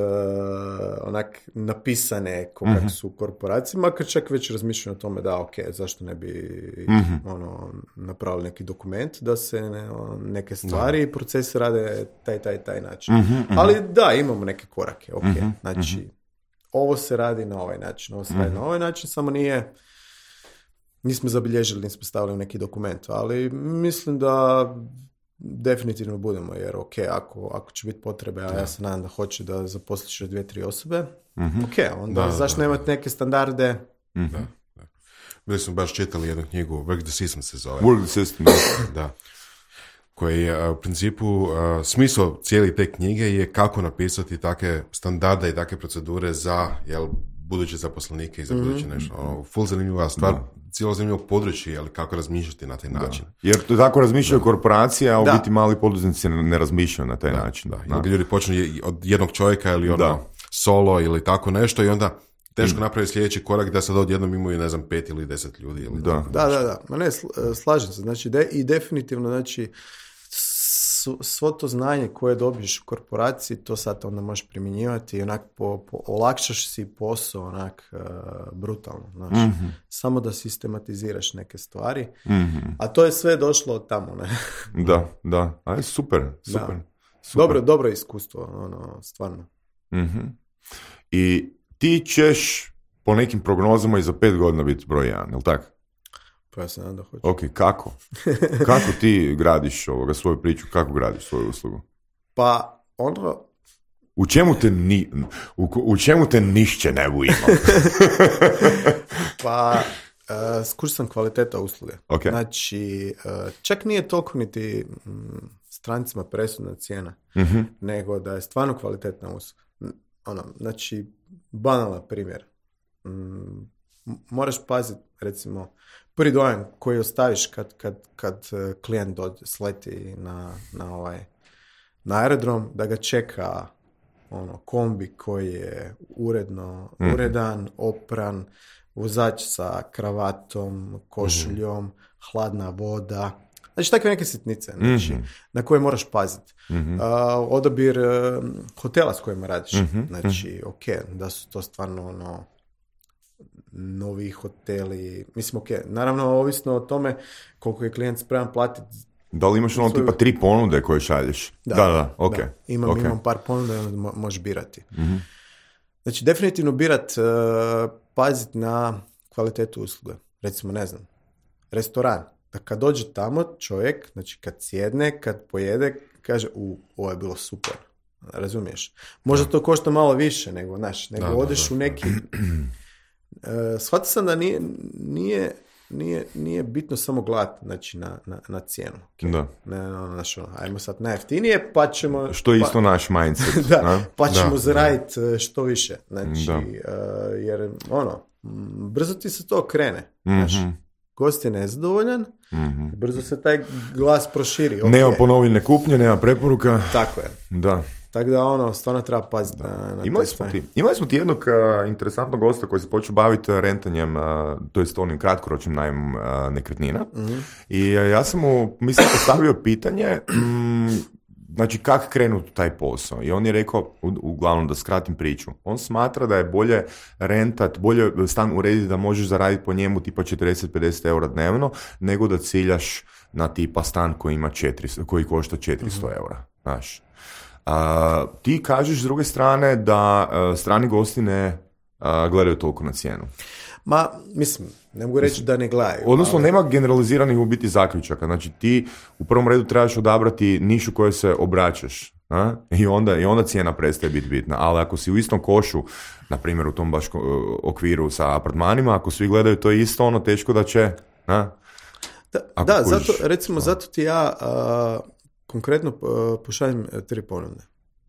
onak napisane ko mm-hmm. kak su korporacije, makar čak već razmišljaju o tome da, ok, zašto ne bi mm-hmm. ono, napravili neki dokument da se ne, neke stvari i procesi rade taj, taj, taj način. Mm-hmm. Ali da, imamo neke korake, ok, mm-hmm. znači, mm-hmm. ovo se radi na ovaj način, ovo se radi mm-hmm. na ovaj način, samo nije, nismo zabilježili, nismo stavili u neki dokument, ali mislim da definitivno budemo, jer ok, ako, ako će biti potrebe, a ja se nadam da hoće da zaposliš još dvije, tri osobe, mm-hmm. ok, onda da, zašto da, nemati neke standarde? Mm-hmm. Da, da. Bili smo baš čitali jednu knjigu, Work the System se zove. Work the System, da. Koji je u principu, smisao cijeli te knjige je kako napisati takve standarde i takve procedure za, jel, buduće zaposlenike i za mm-hmm. buduće nešto. Ono, full zanimljiva stvar, da. Cijelo zanimljivo područje, ali kako razmišljati na taj način. Da. Jer to tako razmišljaju da. korporacije, a u biti mali poduzetnici ne, ne razmišljaju na taj da. način. Da. Da. Ljudi počnu od jednog čovjeka ili ono da. solo ili tako nešto i onda teško mm. napravi sljedeći korak da sad odjednom imaju, ne znam, pet ili deset ljudi. Ili da. da, da, da. Ma ne, slažem se. Znači, de, i definitivno, znači, svo to znanje koje dobiješ u korporaciji, to sad onda možeš primjenjivati i onak po, po, olakšaš si posao onak uh, brutalno. Znači, mm-hmm. samo da sistematiziraš neke stvari, mm-hmm. a to je sve došlo od tamo. Ne? Da, da. Aj, super, super. super. Dobro, dobro iskustvo, ono, stvarno. Mm-hmm. I ti ćeš po nekim prognozama i za pet godina biti broj jedan, je li tako? Pa ja se nadam da hoću. Ok, kako? Kako ti gradiš ovoga, svoju priču, kako gradiš svoju uslugu? Pa, ono... U čemu te, ni, u, u čemu te nišće ne ima? Pa, uh, skuš sam kvaliteta usluge. Okay. Znači, uh, čak nije toliko niti m, strancima presudna cijena, mm-hmm. nego da je stvarno kvalitetna usluga. Ono, znači, banalan primjer. M, moraš paziti, recimo, prvi dojam koji ostaviš kad, kad, kad klijent dođe, sleti na, na, ovaj, na aerodrom, da ga čeka ono, kombi koji je uredno, mm-hmm. uredan, opran, vozač sa kravatom, košuljom, mm-hmm. hladna voda. Znači, takve neke sitnice znači, mm-hmm. na koje moraš paziti. Mm-hmm. Uh, odabir uh, hotela s kojima radiš. Mm-hmm. Znači, ok, da su to stvarno ono, novi hoteli, mislim, ok, naravno ovisno o tome koliko je klijent spreman platiti. Da li imaš ono svoju... tipa tri ponude koje šalješ? Da, da, da, ok. Da. Imam, okay. imam par ponuda i onda mo- možeš birati. Mm-hmm. Znači, definitivno birat, uh, paziti na kvalitetu usluge. Recimo, ne znam, restoran. Da kad dođe tamo čovjek, znači kad sjedne, kad pojede, kaže, u, ovo je bilo super. Razumiješ? Možda to košta malo više nego, znaš, nego da, odeš da, da. u neki... Uh, shvatio sam da nije, nije, nije, nije bitno samo gledati, znači, na, na, na cijenu. Okay? Da. Ne, no, znači, ajmo sad najjeftinije, pa ćemo... Što je isto pa, naš mindset. da, na? pa ćemo zaraditi što više. Znači, uh, jer, ono, brzo ti se to krene. Mm-hmm. Znači, gost je nezadovoljan, mm-hmm. brzo se taj glas proširi. Okay. Nema ponovljene kupnje, nema preporuka. Tako je. Da. Tako da, ono, stvarno treba paziti na, na imali, smo ti, imali smo ti jednog uh, interesantnog gosta koji se počeo baviti rentanjem, uh, to jest onim kratkoročnim najmom uh, nekretnina. Mm-hmm. I uh, ja sam mu, mislim, postavio pitanje, mm, znači, kako krenuti taj posao? I on je rekao, u, uglavnom da skratim priču, on smatra da je bolje rentat, bolje stan urediti da možeš zaraditi po njemu tipa četrdeset do pedeset eura dnevno, nego da ciljaš na tipa stan koji ima četiristo, koji košta četiristo mm-hmm. eura, znaš. Uh, ti kažeš s druge strane da uh, strani gosti ne uh, gledaju toliko na cijenu. Ma, mislim, ne mogu reći da ne gledaju. Odnosno, ali... nema generaliziranih u biti zaključaka. Znači, ti u prvom redu trebaš odabrati nišu kojoj se obraćaš. A? I, onda, I onda cijena prestaje biti bitna. Ali ako si u istom košu, na primjer u tom baš okviru sa apartmanima, ako svi gledaju to isto, ono teško da će... A? Da, da kužiš, zato, recimo, a. zato ti ja a, konkretno a, pošaljem tri ponude.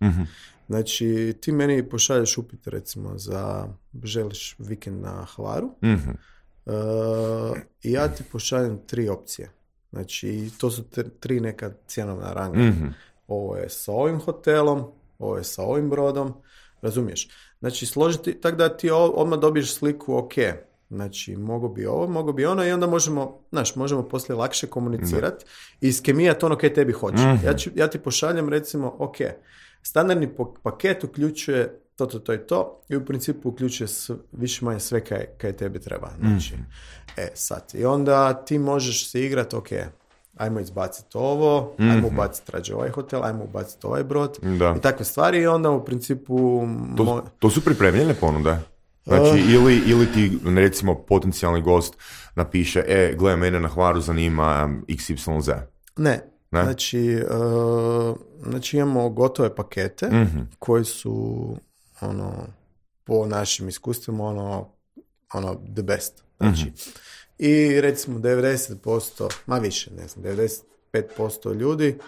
Mm-hmm. Znači, ti meni pošalješ upit, recimo, za želiš vikend na Hvaru, mm-hmm. uh, i ja ti pošaljem tri opcije. Znači, to su te, tri neka cjenovna ranga. Mm-hmm. Ovo je sa ovim hotelom, ovo je sa ovim brodom, razumiješ? Znači, složiti, tako da ti odmah dobiješ sliku, ok, znači, mogu bi ovo, mogu bi ono, i onda možemo, znaš, možemo poslije lakše komunicirati i iskemijati ono kaj tebi hoće. Mm-hmm. Ja, ću, ja ti pošaljem, recimo, ok, standardni paket uključuje to, to, to i to i u principu uključuje sve, više manje sve kaj, kaj tebi treba. Znači, mm. e, sad. I onda ti možeš se igrati, ok, ajmo izbaciti ovo, mm-hmm. ajmo ubaciti rađe ovaj hotel, ajmo ubaciti ovaj brod da. I takve stvari i onda u principu... To, mo- to su pripremljene ponude? Znači, uh, ili, ili ti, recimo, potencijalni gost napiše, e, gledaj, mene na Hvaru zanima iks ipsilon zet. Ne. Ne? Znači, uh, znači imamo gotove pakete mm-hmm. koji su ono, po našim iskustvima ono, ono the best. Znači, mm-hmm. i recimo devedeset posto, ma više, ne znam, devedeset pet posto ljudi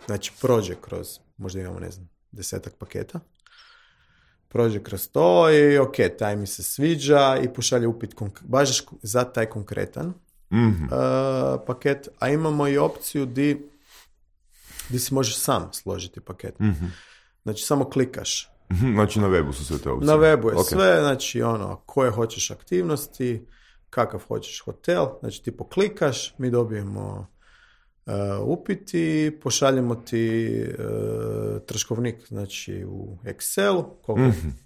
znači prođe kroz, možda imamo, ne znam, desetak paketa, prođe kroz to i ok, taj mi se sviđa i pošalje upit konk- baš za taj konkretan mm-hmm. uh, paket, a imamo i opciju di, di si možeš sam složiti paket. Mm-hmm. Znači, samo klikaš. Mm-hmm. Znači, na webu su sve te opcije. Na webu je okay. sve, znači, ono, koje hoćeš aktivnosti, kakav hoćeš hotel, znači, ti poklikaš, mi dobijemo uh, upit i pošaljemo ti uh, troškovnik, znači, u Excelu, koliko mm-hmm.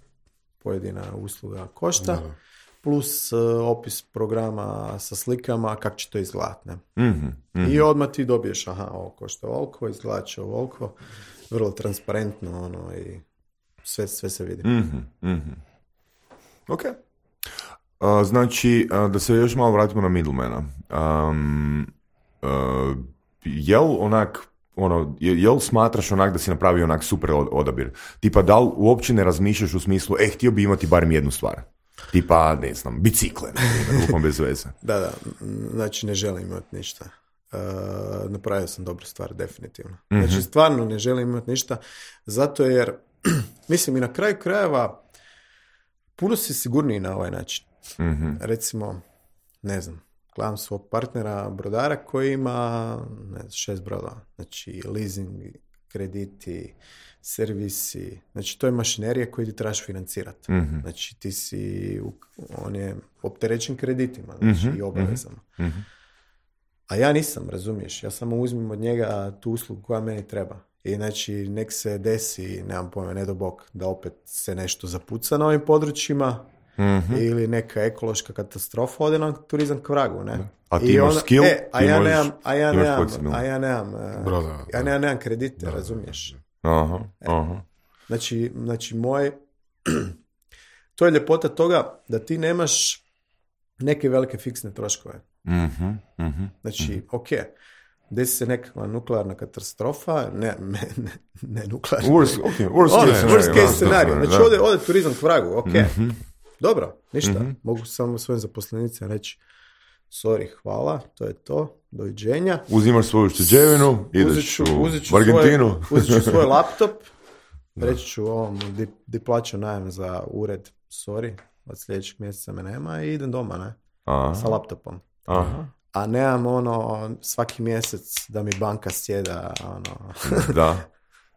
pojedina usluga košta. Da. Plus uh, opis programa sa slikama, kako će to izgledati. Mm-hmm, mm-hmm. I odmah ti dobiješ, aha, ovo košta ovoliko, izgleda će ovoliko, vrlo transparentno, ono, i sve, sve se vidi. Mm-hmm, mm-hmm. Ok. Uh, znači, uh, da se još malo vratimo na middlemana. Um, uh, jel onak, ono, jel smatraš onak da si napravio onak super odabir? Tipa, da li uopće ne razmišljaš u smislu, e, htio bi imati barem jednu stvar? Tipa, ne znam, bicikle, rukom bez veze. Da, da, znači ne želim imati ništa. Uh, napravio sam dobru stvar, definitivno. Mm-hmm. Znači, stvarno ne želim imati ništa, zato jer, mislim, i na kraju krajeva puno si sigurniji na ovaj način. Mm-hmm. Recimo, ne znam, gledam svog partnera, brodara koji ima ne znam, šest brodova. Znači, leasing, krediti, servisi, znači to je mašinerija koju ti trebaš financirati. Mm-hmm. Znači ti si, on je opterećen kreditima, znači mm-hmm. i obavezama. Mm-hmm. A ja nisam, razumiješ, ja samo uzmem od njega tu uslugu koja meni treba. I znači nek se desi, nemam pojma, ne do bog, da opet se nešto zapuca na ovim područjima mm-hmm. ili neka ekološka katastrofa ode na turizam k vragu, ne? A ti I imaš ona, skill, e, a, ja možeš, nemam, a ja nemam, a ja nemam, Brada, ja nemam, nemam kredite, da, razumiješ? Aha, aha. Znači, znači moj to je ljepota toga da ti nemaš neke velike fiksne troškove. Mm-hmm, mm-hmm, znači, mm-hmm. ok, desi se nekakva nuklearna katastrofa, ne, ne, ne, ne nuklearna. Worst, okay, worst, ono, case, worst case scenario. Da, znači, ode, ode turizam k vragu, ok. Mm-hmm. Dobro, ništa. Mm-hmm. Mogu samo svojim zaposlenicima reći sorry, hvala, to je to, doviđenja. Uzimaš svoju šteđevinu, ideš ću, u Argentinu. Uzet ću svoj laptop, reći ću ovom di, di plaćam najem za ured, sorry, od sljedećeg mjeseca me nema i idem doma, ne? Aha. Sa laptopom. Aha. A nemam ono svaki mjesec da mi banka sjeda, ono... Da,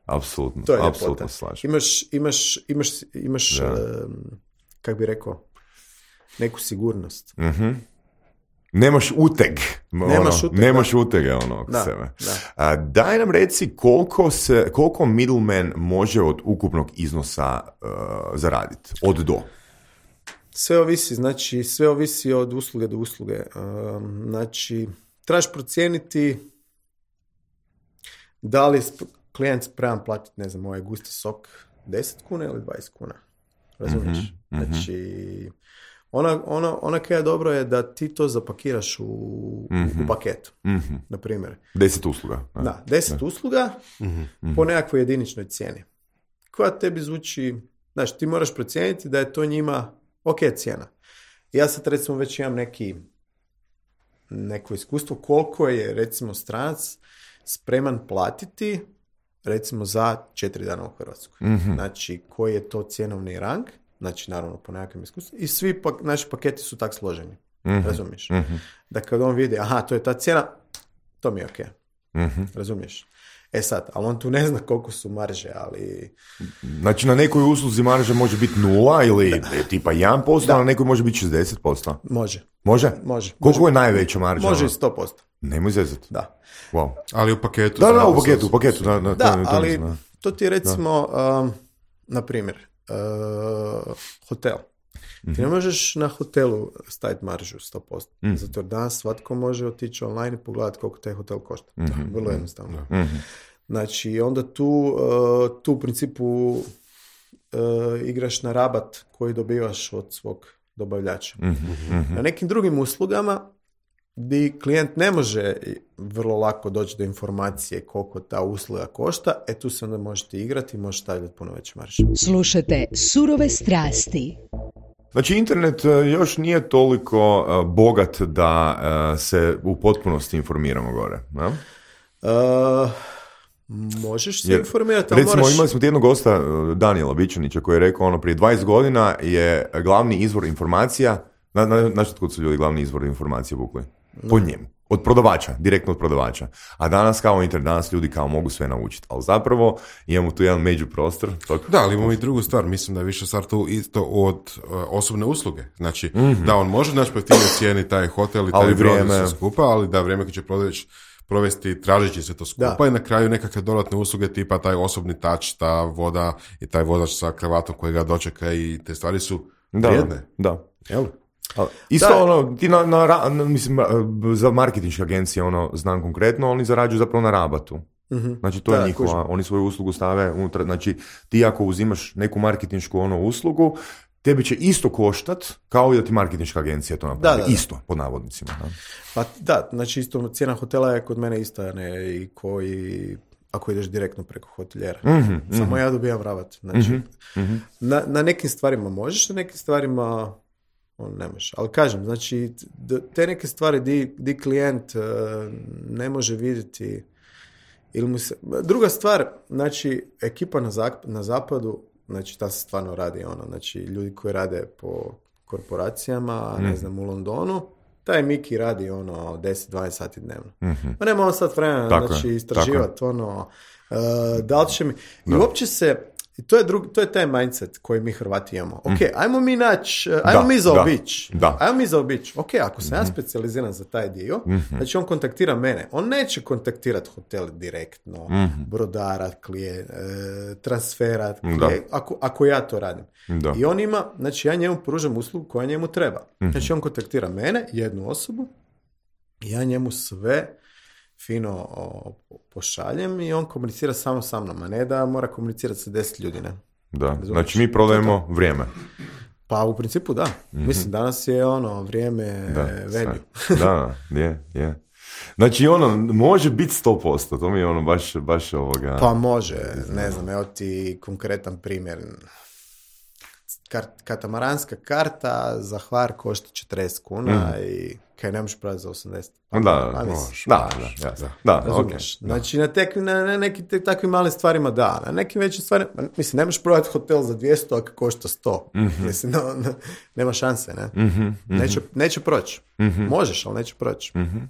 apsolutno, apsolutno slažem. Imaš, imaš, imaš, imaš um, kako bi rekao, neku sigurnost. Mhm. Nemaš uteg. Nemaš ono, uteg, nemaš utege ono oko da, sebe. Da. A, daj nam reci koliko, se, koliko middleman može od ukupnog iznosa uh, zaraditi? Od do? Sve ovisi, znači sve ovisi od usluge do usluge. Um, znači, trebaš procijeniti da li klijent spreman platiti, ne znam, ovaj gusti sok deset kuna ili dvadeset kuna. Razumiješ? Mm-hmm, znači, Ona, ona, ona kaj je dobro je da ti to zapakiraš u, mm-hmm. u paketu, mm-hmm. na primjer. Deset usluga. Da, da deset da. usluga mm-hmm. po nekakvoj jediničnoj cijeni. Koja tebi zvuči, znaš, ti moraš procijeniti da je to njima ok cijena. Ja sad recimo već imam neki neko iskustvo koliko je recimo stranac spreman platiti recimo za četiri dana u Hrvatskoj. Mm-hmm. Znači, koji je to cjenovni rang, znači naravno po nekakvim iskustvu, i svi pa, naši paketi su tak složeni. Mm-hmm. Razumiješ? Mm-hmm. Da kad on vidi, aha, to je ta cijena, to mi je ok. Mm-hmm. Razumiješ? E sad, ali on tu ne zna koliko su marže, ali... Znači, na nekoj usluzi marže može biti nula ili da. tipa jedan posto, a na nekoj može biti šezdeset posto. Može. Može? Može. Koliko može. je najveća marža? Može i sto posto. Nemoj zezati. Da. Wow. Ali u paketu. Da, da, u paketu, u paketu. Da, da, da to, ali to, to ti je recimo, um, na primjer, uh, hotel. Mm-hmm. Ti ne možeš na hotelu staviti maržu sto posto. Mm-hmm. Zato jer danas svatko može otići online i pogledati koliko taj hotel košta. Mm-hmm. Vrlo jednostavno. Mm-hmm. Znači, onda tu, uh, tu u principu uh, igraš na rabat koji dobivaš od svog dobavljača. Mm-hmm. Na nekim drugim uslugama gdje klijent ne može vrlo lako doći do informacije koliko ta usluga košta, e tu se onda možete igrati i možete staviti puno veće marže. Slušajte Surove strasti. Znači, internet još nije toliko uh, bogat da uh, se u potpunosti informiramo gore, ne? Uh, možeš se Jer, informirati, ali recimo, moraš... imali smo jednog gosta, Danijela Bičanića, koji je rekao, ono, prije dvadeset godina je glavni izvor informacija, na, na, na što su ljudi glavni izvor informacije vukli? Po njemu. Od prodavača, direktno od prodavača. A danas kao internet, danas ljudi kao mogu sve naučiti. Ali zapravo imamo tu jedan među prostor. Tok... Da, ali imamo i drugu stvar. Mislim da je više stvar tu isto od uh, osobne usluge. Znači, mm-hmm. da on može naći pojeftinije cijeni taj hotel i taj vrijeme skupa, ali da vrijeme kad će prodavač provesti tražeći se to skupa da. I na kraju nekakve dodatne usluge tipa taj osobni touch, ta voda i taj vozač sa kravatom koji ga dočeka i te stvari su vrijedne. Da, da. Jel? Isto da. ono, ti na, na, na, mislim, za marketinške agencije ono, znam konkretno, oni zarađuju zapravo na rabatu. Mm-hmm. Znači, to da, je njihova, kužim. Oni svoju uslugu stave unutra, znači, ti ako uzimaš neku marketinšku ono, uslugu, tebi će isto koštat kao i da ti marketinška agencija to napravi. Da, da, da. Isto, pod navodnicima. Da. Pa da, znači isto cijena hotela je kod mene ista, ne, i koji... ako ideš direktno preko hotelijera. Mm-hmm, Samo mm-hmm. ja dobijam rabat. Znači, mm-hmm. na, na nekim stvarima možeš, na nekim stvarima on ne može. Ali kažem, znači, te neke stvari di, di klijent uh, ne može vidjeti ili mu se... Druga stvar, znači, ekipa na, zap, na zapadu, znači, ta se stvarno radi ono, znači, ljudi koji rade po korporacijama, mm. ne znam, u Londonu, taj Miki radi ono deset do dvanaest sati dnevno. Mm-hmm. Ma nema on sad vremena, znači, istraživati ono, uh, da li će mi... I uopće se... I to je, drugi, to je taj mindset koji mi Hrvati imamo. Ok, mm. ajmo mi naći, ajmo da, mi zaobići. Ajmo mi zaobići. Ok, ako sam mm-hmm. ja specijaliziran za taj dio, mm-hmm. znači on kontaktira mene. On neće kontaktirati hotel direktno, mm-hmm. brodara, klije, transfera, klije, ako, ako ja to radim. Da. I on ima, znači ja njemu pružam uslugu koja njemu treba. Mm-hmm. Znači on kontaktira mene, jednu osobu, i ja njemu sve fino o, pošaljem i on komunicira samo sa mnom, a ne da mora komunicirati sa deset ljudi, ne? Da, Razumiješ? Znači mi prodajemo vrijeme. Pa u principu da. Mm-hmm. Mislim, danas je ono vrijeme value. Da, je, je. Znači ono, može biti sto posto, to mi je ono baš, baš ovoga... Pa može, ne znam, evo ti konkretan primjer. Kart, katamaranska karta za Hvar košta četrdeset kuna mm. i kaj ne možeš prodati za osamdeset. Pa, da, da, možeš, da, da, da, da, razumiješ. Okay, znači na, tek, na, na nekim te, takvim malim stvarima da, na nekim većim stvarima, mislim, ne možeš prodati hotel za dvjesto ako košta sto. Mm-hmm. Mislim, no, no, nema šanse, ne? Mm-hmm, mm-hmm. Neće, neće proći. Mm-hmm. Možeš, ali neće proći. Mm-hmm.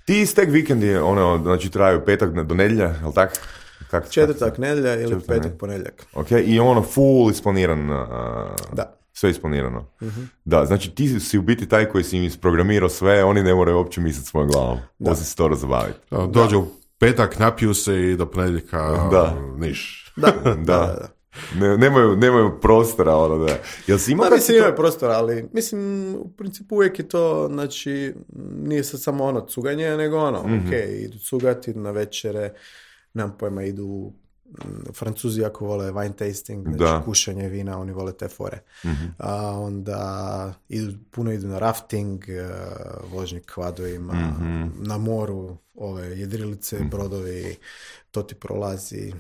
Ti stek vikendi, ono, znači traju petak do nedjelja, jel tako? Kak, Četvrtak, nedjelja ili Četvrtak, petak, ponedjeljak. Ok, i ono full isplaniran. Uh, da. Sve isplanirano. Uh-huh. Da, znači ti si u biti taj koji si im isprogramirao sve, oni ne moraju uopće misliti svojom glavom. Osim se to razbaviti. Dođe u petak, napiju se i do ponedjeljka da. niš. Da, da, da. da. Ne, nemaju, nemaju prostora, ono da. Jel si imao? Da, mislim, imaju prostora, ali mislim, u principu uvijek je to, znači, nije sad samo ono cuganje, nego ono, mm-hmm. ok, idu cugati, idu na večere, nemam pojma, idu Francuzi jako vole wine tasting, znači da. kušanje vina, oni vole te fore. Mm-hmm. A onda idu, puno idu na rafting, uh, vožnje kvadovima, mm-hmm. na moru, ove jedrilice, mm-hmm. brodovi, to ti prolazi.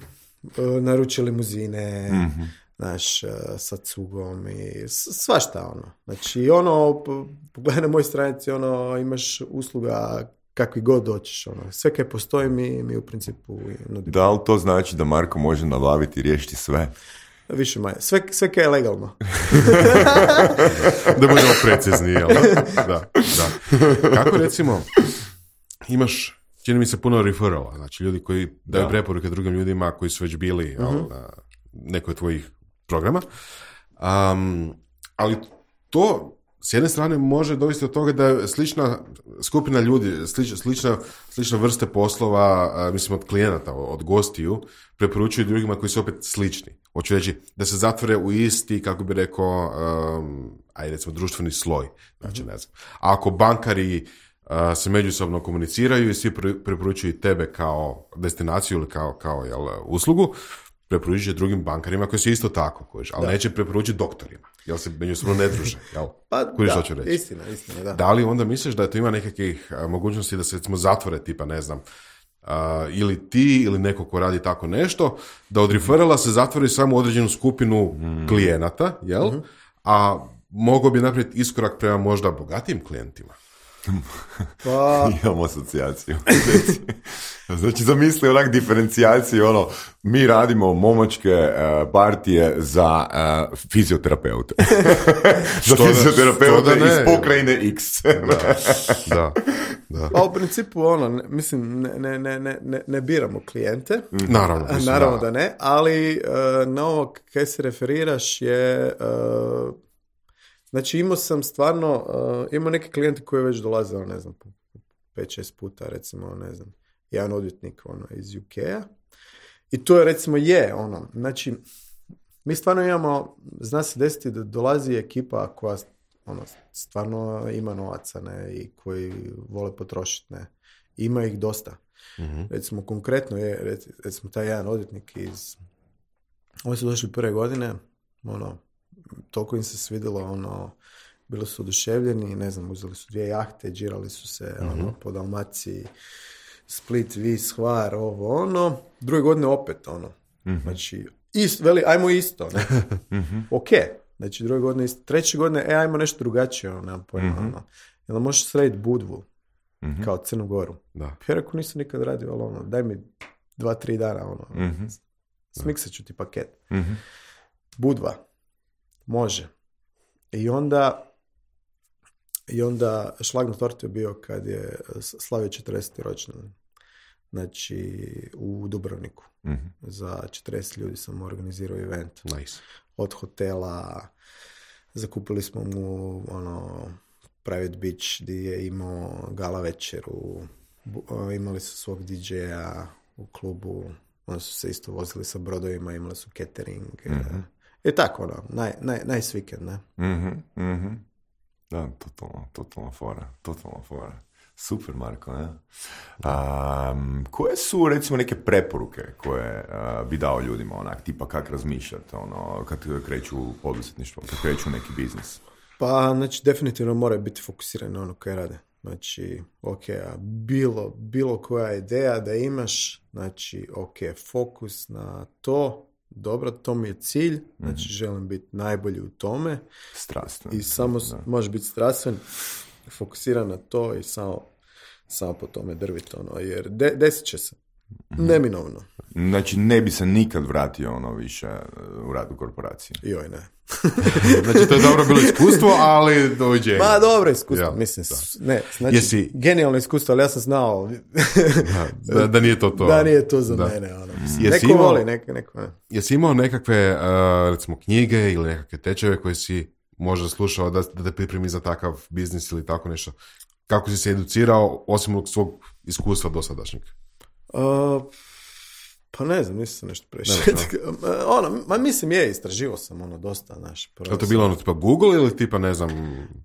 Uh, naruče limuzine, mm-hmm. naš, uh, sa cugom i svašta ono. Znači ono, pogledaj na mojoj stranici, ono, imaš usluga kakvi god doćiš, ono. Sve kaj postoji mi, mi u principu nudimo. Da li to znači da Marko može nabaviti i riješiti sve? Više manje. Sve, sve kaj je legalno. Da budemo precizni, jel? Da, da. Kako recimo, imaš, čini mi se, puno referrala, znači ljudi koji daju da. preporuke drugim ljudima koji su već bili uh-huh. jel, na nekoj tvojih programa. Um, ali to s jedne strane može dovesti do toga da je slična skupina ljudi, slič, slična, slična vrste poslova, a, mislim od klijenata, od gostiju, preporučuju drugima koji su opet slični. Hoću reći da se zatvore u isti, kako bi rekao, um, ajde recimo društveni sloj. Znači, ne znam. A ako bankari uh, se međusobno komuniciraju i svi pre, preporučuju tebe kao destinaciju ili kao, kao jel, uslugu, preporučuje drugim bankarima koji su isto tako, kojiš, ali da. Neće preporučiti doktorima, jel se međusobno ne druže, jel? Pa kojiš, da, ću reći. istina, istina, da. Da li onda misliš da to ima nekakvih a, mogućnosti da se recimo zatvore, tipa, ne znam, a, ili ti ili neko ko radi tako nešto, da od referrala se zatvori samo određenu skupinu mm. klijenata, jel? Mm-hmm. A mogao bi napraviti iskorak prema možda bogatijim klijentima. Pa... Imam asocijaciju. Znači, zamisli onak diferencijaciju, ono, mi radimo momočke uh, partije za uh, fizioterapeute. Za fizioterapeute iz pokrajine X. da, da, da. Pa u principu, ono, ne, mislim, ne, ne, ne, ne, ne biramo klijente. Naravno. Mislim, Naravno da. da ne, ali uh, na ovo kaj se referiraš je... Uh, Znači imao sam stvarno, uh, imao neke klijente koji već dolaze, ne znam, pet šest puta, recimo, ne znam, jedan odvjetnik ono, iz U K-a. I to je, recimo, je, ono, znači, mi stvarno imamo, zna se desiti da dolazi ekipa koja, ono, stvarno ima novaca, ne, i koji vole potrošiti, ne. Ima ih dosta. Mm-hmm. Recimo, konkretno je, recimo, taj jedan odvjetnik iz, oni su došli prve godine, ono, toliko im se svidjelo, ono, bili su oduševljeni, ne znam, uzeli su dvije jahte, džirali su se, mm-hmm. ono, po Dalmaciji, Split, Vis, Hvar, ovo, ono, druge godine opet, ono, mm-hmm. znači, ist, veli, ajmo isto, ne, mm-hmm. ok, znači, druge godine isto, treće godine, e, ajmo nešto drugačije, ono, nemam pojma, mm-hmm. ono, jel možeš srediti Budvu, mm-hmm. kao Crnu Goru, da. Ja rekao, nisam nikad radio, ali, ono, daj mi dva, tri dana, ono, mm-hmm. smiksat ću ti paket, mm-hmm. Budva, može. I onda i onda šlag na tortu je bio kad je slavio četrdeseti rođendan. Znači u Dubrovniku. Mm-hmm. Za četrdeset ljudi sam organizirao event. Nice. Od hotela, zakupili smo mu ono private beach gdje je imao gala večeru, imali su svog D J-a u klubu, oni su se isto vozili sa brodovima, imali su catering. Mm-hmm. I tako, ono, naj, naj, nice weekend, ne? Mhm, mhm. Da, totalno, totalno fora, totalno fora. Super, Marko, ne? Um, koje su, recimo, neke preporuke koje uh, bi dao ljudima, onak, tipa kak razmišljati, ono, kad kreću poduzetništvo, kad kreću neki biznis? Pa, znači, definitivno moraju biti fokusirani na ono koje rade. Znači, ok, a bilo, bilo koja ideja da imaš, znači, ok, fokus na to, dobro, to mi je cilj, znači mm-hmm. želim biti najbolji u tome. Strastven. I samo da. Možeš biti strastven, fokusiran na to i samo, samo po tome drviti, ono, jer de, desit će se. Mm-hmm. Neminovno. Znači, ne bi se nikad vratio ono više u rad u korporaciji. Joj, ne. Znači, to je dobro bilo iskustvo, ali doviđenje. Ma, dobro iskustvo, ja, mislim. Da. Ne, znači, Jesi... genijalno iskustvo, ali ja sam znao da, da, da nije to to. Da nije to za da. mene. Ono. Mm. Neko imao, voli, neko, neko ne. Jesi imao nekakve, uh, recimo, knjige ili nekakve tečeve koje si možda slušao da, da te pripremi za takav biznis ili tako nešto? Kako si se educirao, osim svog iskustva dosadašnjeg? Uh, Pa ne znam, nisam nešto previše. ono, ma mislim je, istraživao sam ono dosta, znaš. Je to bilo ono tipa Google ili tipa ne znam...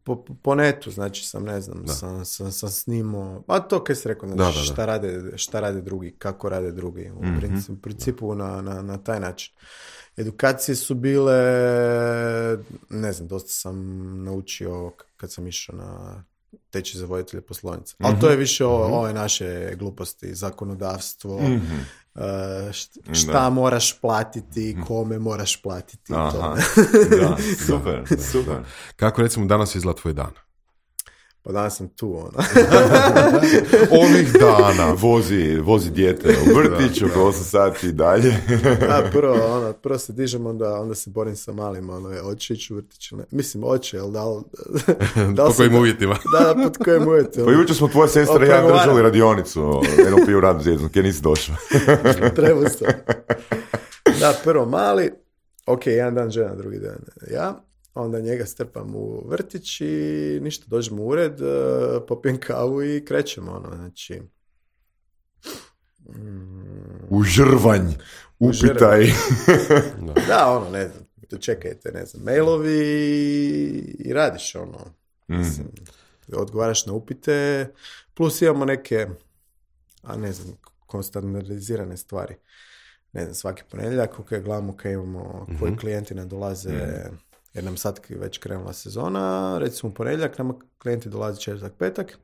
Po, po netu, znači sam ne znam, sam, sam, sam snimao, a to kaj si rekao, znači da, da, da. Šta, rade, šta rade drugi, kako rade drugi, u mm-hmm. principu, u principu na, na, na taj način. Edukacije su bile, ne znam, dosta sam naučio kad sam išao na tečaj za voditelje poslovnica. Mm-hmm. Ali to je više o, mm-hmm. ove naše gluposti, zakonodavstvo, mm-hmm. šta, šta moraš platiti, kome moraš platiti. Aha. To. Da, super, da, super. Da. Kako recimo danas izgleda tvoj dan? Pa danas sam tu, ono. Ovih dana. Vozi, vozi dijete u vrtić, oko osam sati i dalje. Da, prvo, ono, prvo se dižem, onda, onda se borim sa malim, ono, oće ići u vrtić. Ne? Mislim, oće, ali da li... Da li po kojim uvjetima? Da, da, pod kojim uvjetima. Pa jučer smo tvoja sestra i ja držali radionicu, eno piju radu zjeznu, kje nisi došao. Treba sam. Da, prvo mali, ok, jedan dan žena, drugi dan ja. Onda njega strpam u vrtić i ništa, dođemo u ured, popijem kavu i krećemo, ono, znači... Mm, u žrvanj, upitaj. Da, ono, ne znam, čekajte, ne znam, mailovi i radiš, ono, mm. mislim, odgovaraš na upite, plus imamo neke, a ne znam, standardizirane stvari. Ne znam, svaki ponedjeljak, ok, gledamo kaj imamo, koji mm-hmm. klijenti nam dolaze... Mm. Jer nam sad već krenula sezona, recimo u ponedjeljak, nama klijenti dolaze četvrtak, petak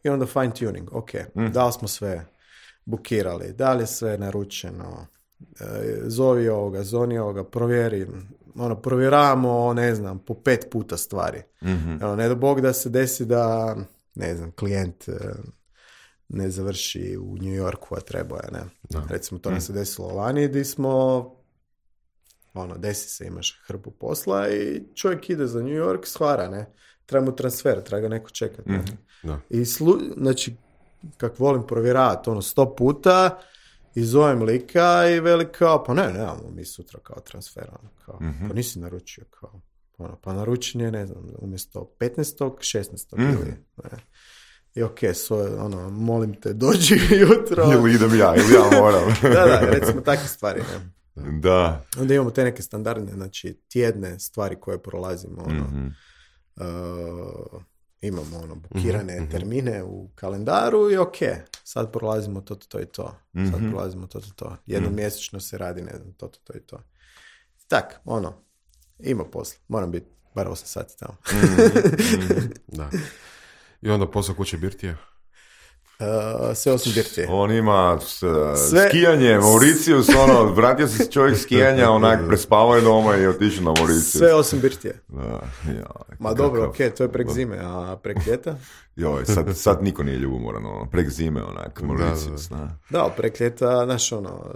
i onda fine tuning, ok, mm. da li smo sve bukirali, da li je sve naručeno, e, zovi ovoga, zoni ovoga, provjeri, ono, provjeravamo, ne znam, po pet puta stvari. Mm-hmm. Ono, ne do Bog da se desi da, ne znam, klijent e, ne završi u New Yorku, a treba je, ne. No. Recimo, to nam mm. se desilo lani, gdje smo... Ono, desi se, imaš hrpu posla i čovjek ide za New York, shvara, ne? Treba mu transfer, treba ga neko čekati. Ne? Mm-hmm. No. I slu, znači, kak volim provjeravati, ono, sto puta i zovem lika i veli kao, pa ne, nemamo mi sutra kao transfer, ono, kao, mm-hmm. pa nisi naručio, kao, ono, pa naručen je, ne znam, umjesto petnaestog, šesnaestog Mm-hmm. ili, ne? I ok, so, ono, molim te, dođi jutro. Ili idem ja, ili ja moram. Da, da, recimo takve stvari, ne? Da. Onda imamo te neke standardne, znači tjedne stvari koje prolazimo, ono, mm-hmm. uh, imamo ono, bukirane mm-hmm. termine u kalendaru i ok, sad prolazimo to, to, to i to. Mm-hmm. Sad prolazimo to, to, to. Jednom mm-hmm. mjesečno se radi, ne znam, to, to, to i to. Tak, ono, ima posla. Moram biti bar osam sati tamo. mm-hmm. Da. I onda posao kuće birtije? Uh, sve osim birtije. On ima s, sve... skijanje, Mauricius, ono, vratio se čovjek skijanja, onak, prespavao je doma i otišao na Mauricius. Sve osim birtije. Da, ja, Ma kakav... dobro, ok, to je prek zime, a prek ljeta? Joj, sad, sad niko nije ljubomoran, ono, prek zime, onak, Mauricius, da. Da, da ali prek ljeta, znaš, ono,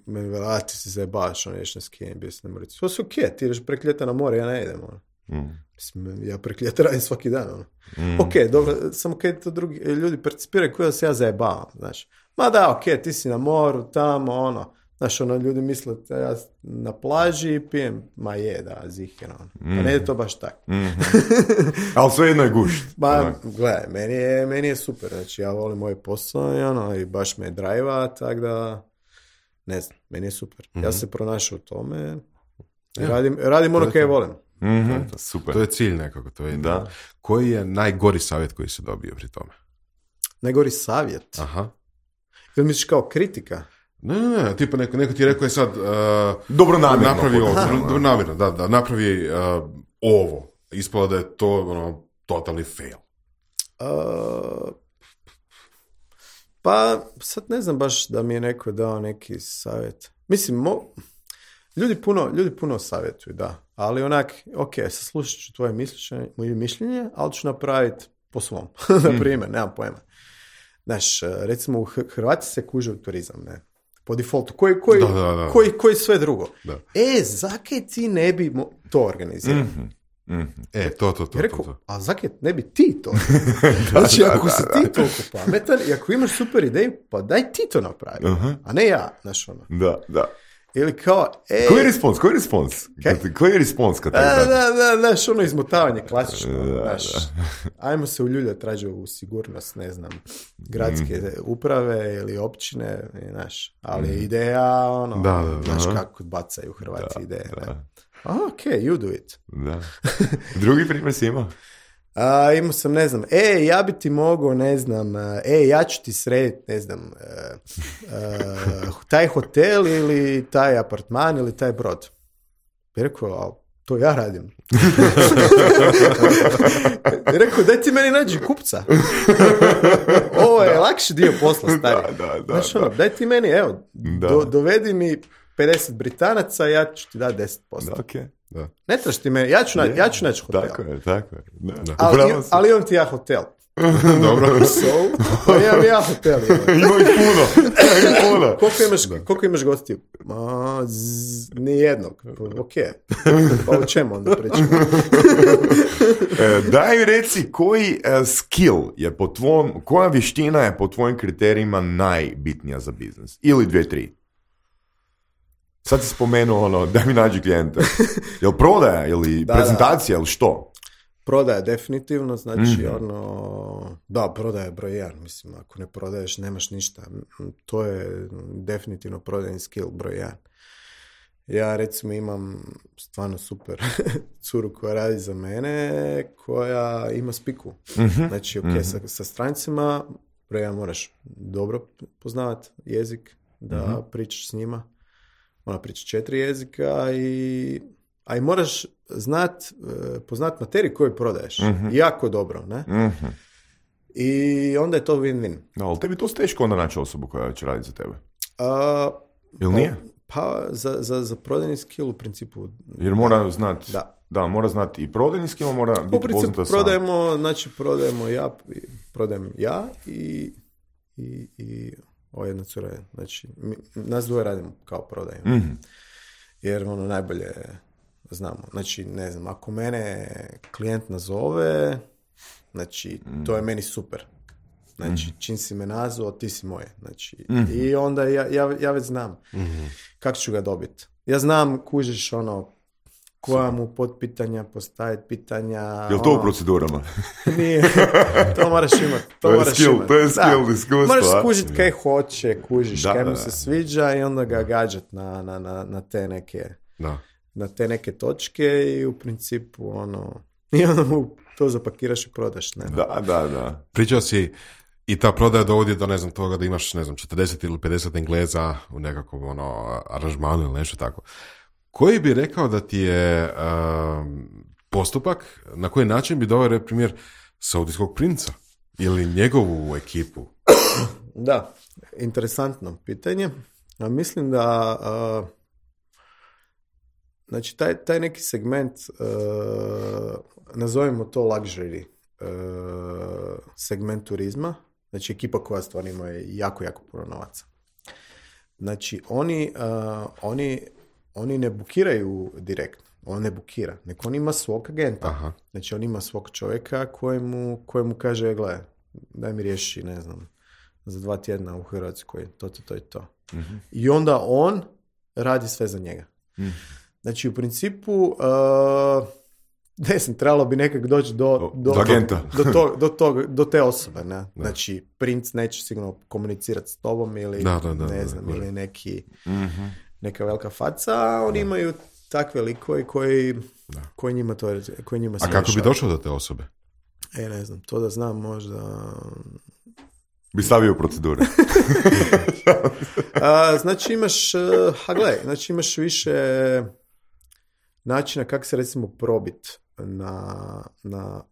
meni vela, ti si zajebaš, ono, ješ na skijanje, bio si na Mauricius. To su ok, ti ideš prek ljeta na more, ja ne idem, ono. Mm. Mislim, ja prek ljeta radim svaki dan, ono. Mm. Ok, dobro, samo kad to drugi ljudi percipiraju kao da se ja zajebavam, znaš. Ma da, ok, ti si na moru, tamo, ono. Znaš, ono, ljudi misle da ja na plaži pijem, ma je, da, ziheno. Mm. Pa ne je to baš tako. Mm-hmm. Ali sve jedno je gušt. Ma, gledaj, meni je, meni je super, znači, ja volim moj posao i ono, i baš me drajva, tako da, ne znam, meni je super. Mm-hmm. Ja se pronašao u tome, ja. radim, radim ono kaj volim. Mm-hmm. To, super. To je cilj nekako. To je da. Koji je najgori savjet koji si dobio pri tome? Najgori savjet? Aha. Ili misliš kao kritika? Ne, ne, ne, tipa neko, neko ti je rekao je sad uh, dobro namjerno. Napravi ovo, dobro namjerno, da, da, napravi uh, ovo. Ispalo da je to ono, totalni fail. Uh, pa sad ne znam baš da mi je neko dao neki savjet. Mislim, mo... Ljudi puno, ljudi puno savjetuju, da. Ali onak, ok, saslušat ću tvoje mišljenje, moje mišljenje, ali ću napraviti po svom. Na primjer, nemam pojma. Znaš, recimo u Hrvati se kuže u turizam, ne? Po defaultu. Koji, koji, da, da, da. koji, koji sve drugo. Da. E, zakaj ti ne bi mo- to organizirao? Mm-hmm. Mm-hmm. E, to, to, to. Rekao, to, to. a zakaj ne bi ti to? Znači, ako si ti toliko pametan i ako imaš super ideju, pa daj ti to napravi. Uh-huh. A ne ja, znaš ono. Da, da. Ili kao, ej... Koji je respons? Koji je respons? Kaj? Koji je respons kad tako Da, da? da, da, znaš, ono izmotavanje klasično, Da, znaš. da. Ajmo se uljuljati, traže u sigurnost, ne znam, gradske Mhm. uprave ili općine, znaš. Ali ideja, ono, Da, da, da. znaš Aha. kako bacaju Hrvati Da, ideje. da. Ne? Ok, you do it. Da. Drugi primjer si imao? A, imao sam, ne znam, e, ja bi ti mogao, ne znam, e, ja ću ti srediti, ne znam, e, e, taj hotel ili taj apartman ili taj brod. I rekao, a to ja radim. I rekao, daj ti meni nađi kupca. Ovo je lakši dio posla, stari. Da, da, da, Znaš, ono, daj ti meni, evo, Da. do, dovedi mi pedeset Britanaca, ja ću ti dati deset posto. Da, okej. Da. Ne trebaš ti meni, ja ću, na, Je. ja ću naći hotel. Tako je, tako je. Da. Ali, Upravo si. ali imam ti ja hotel. Dobro. So, pa imam ja hotel. Imam. Ima ih puno. Ima ih puno. Koliko imaš, koliko imaš gostiju? Ma, zzz, nijednog. Ok. Pa o čemu onda pričamo? E, daj mi reci koji e, skill je po tvom, koja vještina je po tvojim kriterijima najbitnija za biznis? Ili dvije, tri. Sad si spomenuo ono, da mi nađi klijente. Jel prodaja ili Da, prezentacija ili što? Prodaja definitivno, znači Mhm. ono, da, prodaja je broj jedan, mislim, ako ne prodaješ nemaš ništa, to je definitivno prodajni skill broj jedan. Ja recimo imam stvarno super curu koja radi za mene, koja ima spiku. Mhm. Znači, ok, Mhm. sa, sa strancima, broj jedan moraš dobro poznavati jezik, da Mhm. pričaš s njima. Ona priča četiri jezika i a i moraš znat, e, poznat materiju koju prodaješ. Mhm. Jako dobro, ne? Mhm. I onda je to win-win. Da, ali tebi to teško onda naći osobu koja će raditi za tebe. A, Ili nije? pa za, za, za prodajni skill u principu Jer mora znati, da. da, mora znati i prodajni skill, mora U biti principu poznata sam. prodajemo, znači prodajemo ja, prodajem ja i, i, i ova jedna cura je, znači mi, nas dvoje radimo kao prodaju. Mhm. Jer ono najbolje znamo. Znači, ne znam, ako mene klijent nazove, znači, to je meni super. Znači, čim si me nazvao, ti si moje. Znači, i onda ja, ja, ja već znam kako ću ga dobiti. Ja znam, kužiš ono, koja mu potpitanja, postaviti pitanja. Jel to u ono, procedurama? Nije, to moraš imati. To, To je moraš skill, imati. to je Da. skill, iskustvo, Moraš a? skužiti kaj hoće, kužiš, Da, kaj mu da, se da. sviđa i onda ga gađat na, na, na, na te neke Da. na te neke točke i u principu ono i onda mu to zapakiraš i prodaš. Ne? Da, da, da. Pričao si i ta prodaja dovodi do, ne znam, toga da imaš, ne znam, četrdeset ili pedeset Engleza u nekakvom, ono, aranžmanu ili nešto tako. Koji bi rekao da ti je um, postupak, na koji način bi doveo primjer Saudijskog princa ili njegovu ekipu? Da, interesantno pitanje. A mislim da a, znači taj, taj neki segment a, nazovimo to luxury a, segment turizma, znači ekipa koja stvarno ima jako, jako puno novaca. Znači oni, a, oni, oni ne bukiraju direktno, on ne bukira, nego on ima svog agenta. Aha. Znači on ima svog čovjeka kojemu, kojemu kaže, gle, daj mi riješi, ne znam, za dva tjedna u Hrvatskoj, to, to, to i to. Mhm. I onda on radi sve za njega. Mhm. Znači, u principu, uh, ne znam, trebalo bi nekak doći do, do, Do agenta. do, tog, do, tog, do te osobe. Ne? Znači, princ neće sigurno komunicirati s tobom ili, Da, da, da, ne da, znam, da. ili neki, Mhm. neka velika faca, a oni imaju takve likove koji, koji njima to koji njima se A kako bi rješava. došao do te osobe? E, ne znam, to da znam možda... Bi stavio u procedure. A, znači imaš, uh, ha gle, znači imaš više načina kako se recimo probit na, na,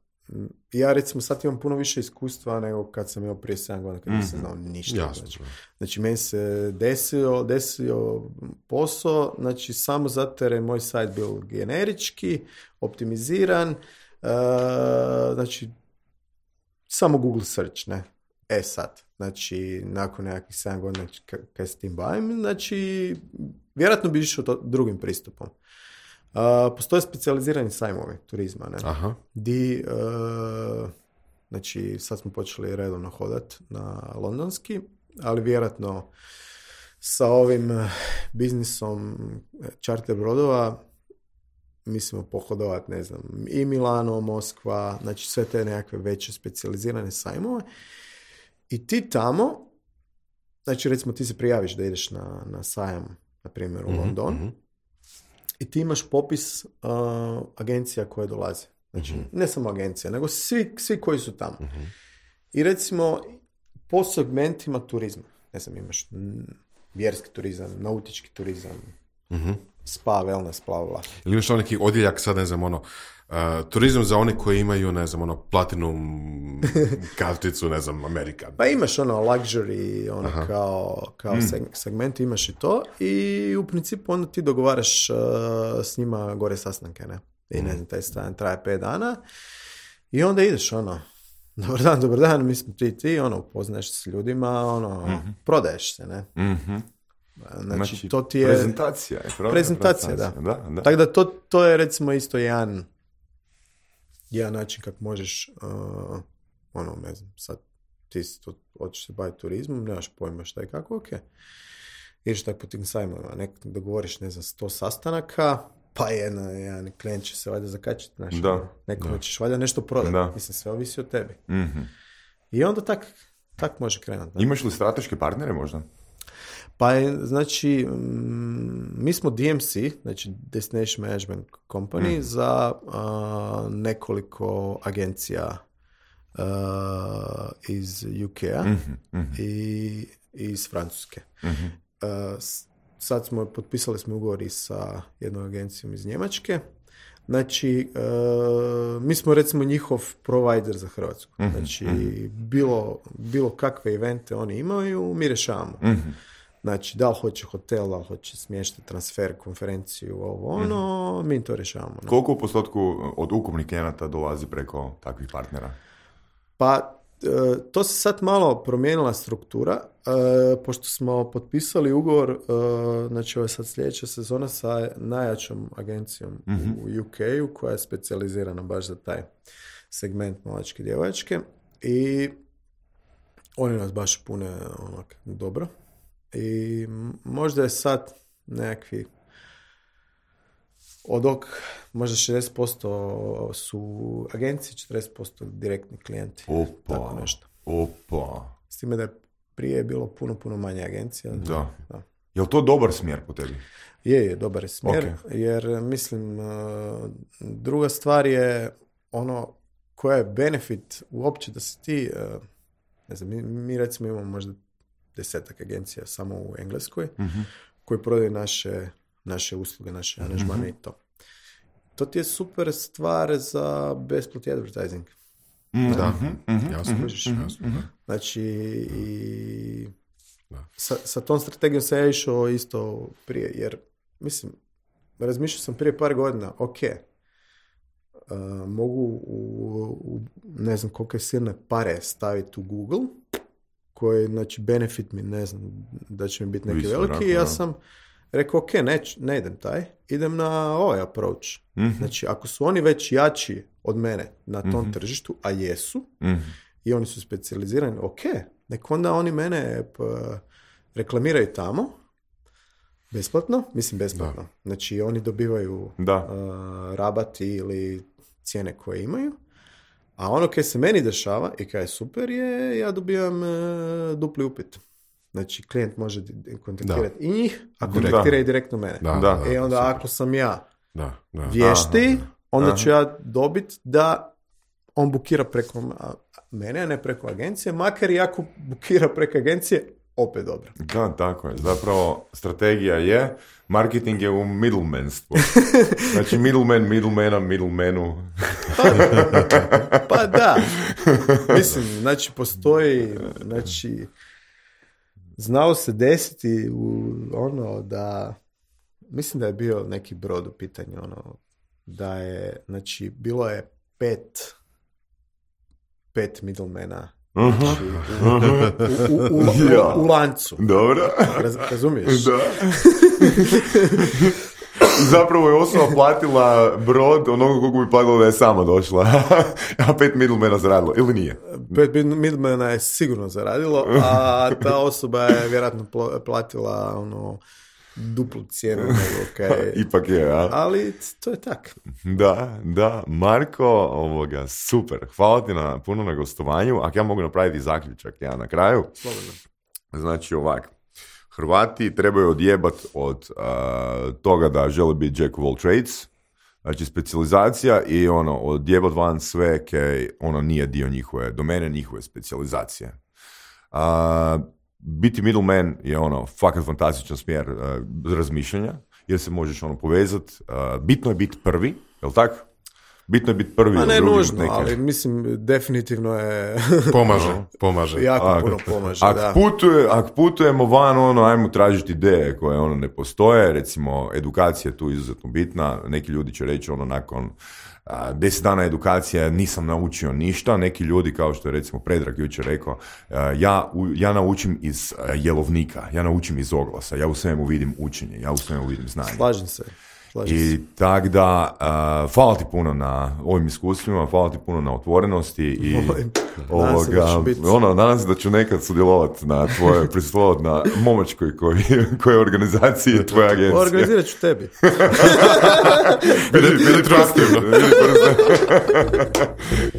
ja recimo sad imam puno više iskustva nego kad sam imao prije sedam godina kad nisam znao ništa. Jasno. Znači, znači meni se desio, desio posao, znači samo zato jer je moj sajt bio generički, optimiziran, uh, znači samo Google search, ne. E sad, znači, nakon nekakvih sedam godina k- kad se tim bavim, znači, vjerojatno bi išao to drugim pristupom. Uh, postoje specijalizirani sajmovi turizma, ne? Aha. Di, uh, znači, sad smo počeli redovno hodat na londonski, ali vjerojatno sa ovim uh, biznisom charter brodova mislimo pohodovati, ne znam, i Milano, Moskva, znači sve te nekakve veće specijalizirane sajmove. I ti tamo, znači recimo ti se prijaviš da ideš na, na sajam, na primjer u mm-hmm, London, mm-hmm. i ti imaš popis uh, agencija koje dolaze. Znači, mm-hmm. ne samo agencija, nego svi, svi koji su tamo. Mm-hmm. I recimo, po segmentima turizma, ne znam, imaš m, vjerski turizam, nautički turizam, mm-hmm. spa, wellness, bla, bla. Ili imaš neki odjeljak, sad ne znam, ono, uh, turizam za one koji imaju, ne znam, ono, platinum karticu, ne znam, Amerika. Pa imaš ono luxury, ono Aha. kao, kao mm. seg- segment, imaš i to i u principu onda ti dogovaraš uh, s njima gore sastanke, ne? I ne znam, taj stan traje pet dana i onda ideš, ono, dobar dan, dobar dan, mi smo ti ti, ono, upoznaješ se s ljudima, ono, mm-hmm. prodaješ se, ne? Mm-hmm. Znači, znači, to ti je... Prezentacija. Je prezentacija, da. da, da. Tako da to, to je, recimo, isto jedan, jedan način kako možeš, uh, ono, ne znam, sad ti si tu, hoćeš se baviti turizmom, nemaš pojma šta i kako, ok. Ideš tako po tim sajmovima, nek dogovoriš, ne znam, sto sastanaka, pa jedan, jedan klijent će se valjda zakačiti, znaš, nekome ćeš valjda nešto prodati. Da. Mislim, sve ovisi o tebi. Mm-hmm. I onda tak, tak može krenuti. Da. Imaš li strateške partnere možda? Pa je, znači, mi smo D M C, znači Destination Management Company, mm. za uh, nekoliko agencija uh, iz U K-a mm-hmm, mm-hmm. i iz Francuske. Mm-hmm. Uh, sad smo, potpisali smo ugovor i sa jednom agencijom iz Njemačke. Znači, uh, mi smo recimo njihov provider za Hrvatsku. Mm-hmm, znači, mm-hmm. bilo, bilo kakve evente oni imaju, mi rješavamo. Mm-hmm. Znači, da li hoće hotel, da li hoće smještaj, transfer, konferenciju, ovo, ono, mm-hmm. mi to rješavamo. Ne? Koliko u postotku od ukupnih klijenata dolazi preko takvih partnera? Pa, to se sad malo promijenila struktura, pošto smo potpisali ugovor, znači ovo je sad sljedeća sezona sa najjačom agencijom mm-hmm. u U K-u, koja je specijalizirana baš za taj segment mlačke djevojačke i oni nas baš pune onak dobro. I možda je sad nekakvi od ok, možda šezdeset posto su agencije, četrdeset posto direktni klijenti. Opa, tako nešto. Opa. S time da je prije bilo puno, puno manje agencija. Da. da. Je li to dobar smjer po tebi? Je, je, dobar je smjer, okay. jer mislim, druga stvar je ono koja je benefit uopće da si ti, ne znam, mi, mi recimo imamo možda desetak agencija samo u Engleskoj, mm-hmm. koji prodaju naše, naše usluge, naše aranžmane mm-hmm. i to. To ti je super stvar za besplatni advertising. Mm, da. Mm-hmm. Jasno. Mm-hmm. Mm-hmm. Znači, i sa, sa tom strategijom sam ja išao isto prije, jer, mislim, razmišljao sam prije par godina, ok, uh, mogu u, u ne znam koliko je silne pare staviti u Google, koji, znači, benefit mi, ne znam, da će mi biti neki Visto, veliki, i ja sam rekao, ok, ne, ne idem taj, idem na ovaj approach. Mm-hmm. Znači, ako su oni već jači od mene na tom mm-hmm. tržištu, a jesu, mm-hmm. i oni su specijalizirani, ok, nek onda oni mene p- reklamiraju tamo, besplatno, mislim besplatno. Da. Znači, oni dobivaju uh, rabati ili cijene koje imaju, a ono kaj se meni dešava i kaj je super je, ja dobivam uh, dupli upit. Znači, klijent može kontaktirati da. i njih, a kontaktira i direktno mene. Da, da, e onda da, ako sam ja da, da. vješti, Aha, onda Aha. ću ja dobiti da on bukira preko mene, a ne preko agencije, makar i ako bukira preko agencije, opet dobro. Da, tako je. Zapravo, strategija je, marketing je u middlemanstvu. Znači, middleman, middlemana, middlemanu. pa, pa da. Mislim, znači, postoji, znači, znalo se desiti u ono da, mislim da je bio neki brod u pitanju, ono, da je, znači, bilo je pet, pet middlemana, znači, u, u, u, u, u, u lancu. Dobro. Raz, razumiješ? Da. zapravo je osoba platila brod onoga koliko bi platila da je sama došla. A pet middlemana zaradilo, ili nije? Pet middlemana je sigurno zaradilo, a ta osoba je vjerojatno platila ono duplu cijenu nego kaj... Ipak je, a? Ali to je tak. Da, da. Marko, ovoga, super. Hvala ti na, puno na gostovanju. Ako ja mogu napraviti zaključak, ja na kraju. Slobodno. Znači ovak. Hrvati trebaju odjebat od uh, toga da žele biti jack of all trades. Znači specijalizacija i ono, odjebat van sve kaj ono nije dio njihove domene, njihove specijalizacije. Uh, biti middleman je ono fakat fantastičan smjer uh, razmišljanja, jer se možeš ono povezat. Uh, bitno je biti prvi, jel tak? Bitno je biti prvi. A ne nužno, ali mislim definitivno je... Pomaže, pomaže. Jako ak, puno pomaže, ak da. Putuje, ak putujemo van, ono, ajmo tražiti ideje koje ono ne postoje, recimo edukacija je tu izuzetno bitna, neki ljudi će reći ono nakon a, deset dana edukacije nisam naučio ništa, neki ljudi kao što je recimo Predrag jučer rekao, a, ja, u, ja naučim iz a, jelovnika, ja naučim iz oglasa, ja u svemu vidim učenje, ja u svemu vidim znanje. Slažem se. I tak da, uh, hvala ti puno na ovim iskustvima, hvala ti puno na otvorenosti i ovoga, ono, nadam se da ću nekad sudjelovati na tvoje, prisustvovati na momačkoj koji, koji organizaciji tvoje agencije. Organizirat ću tebi. Bili, bili proaktivno.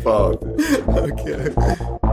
Hvala ti. Okay.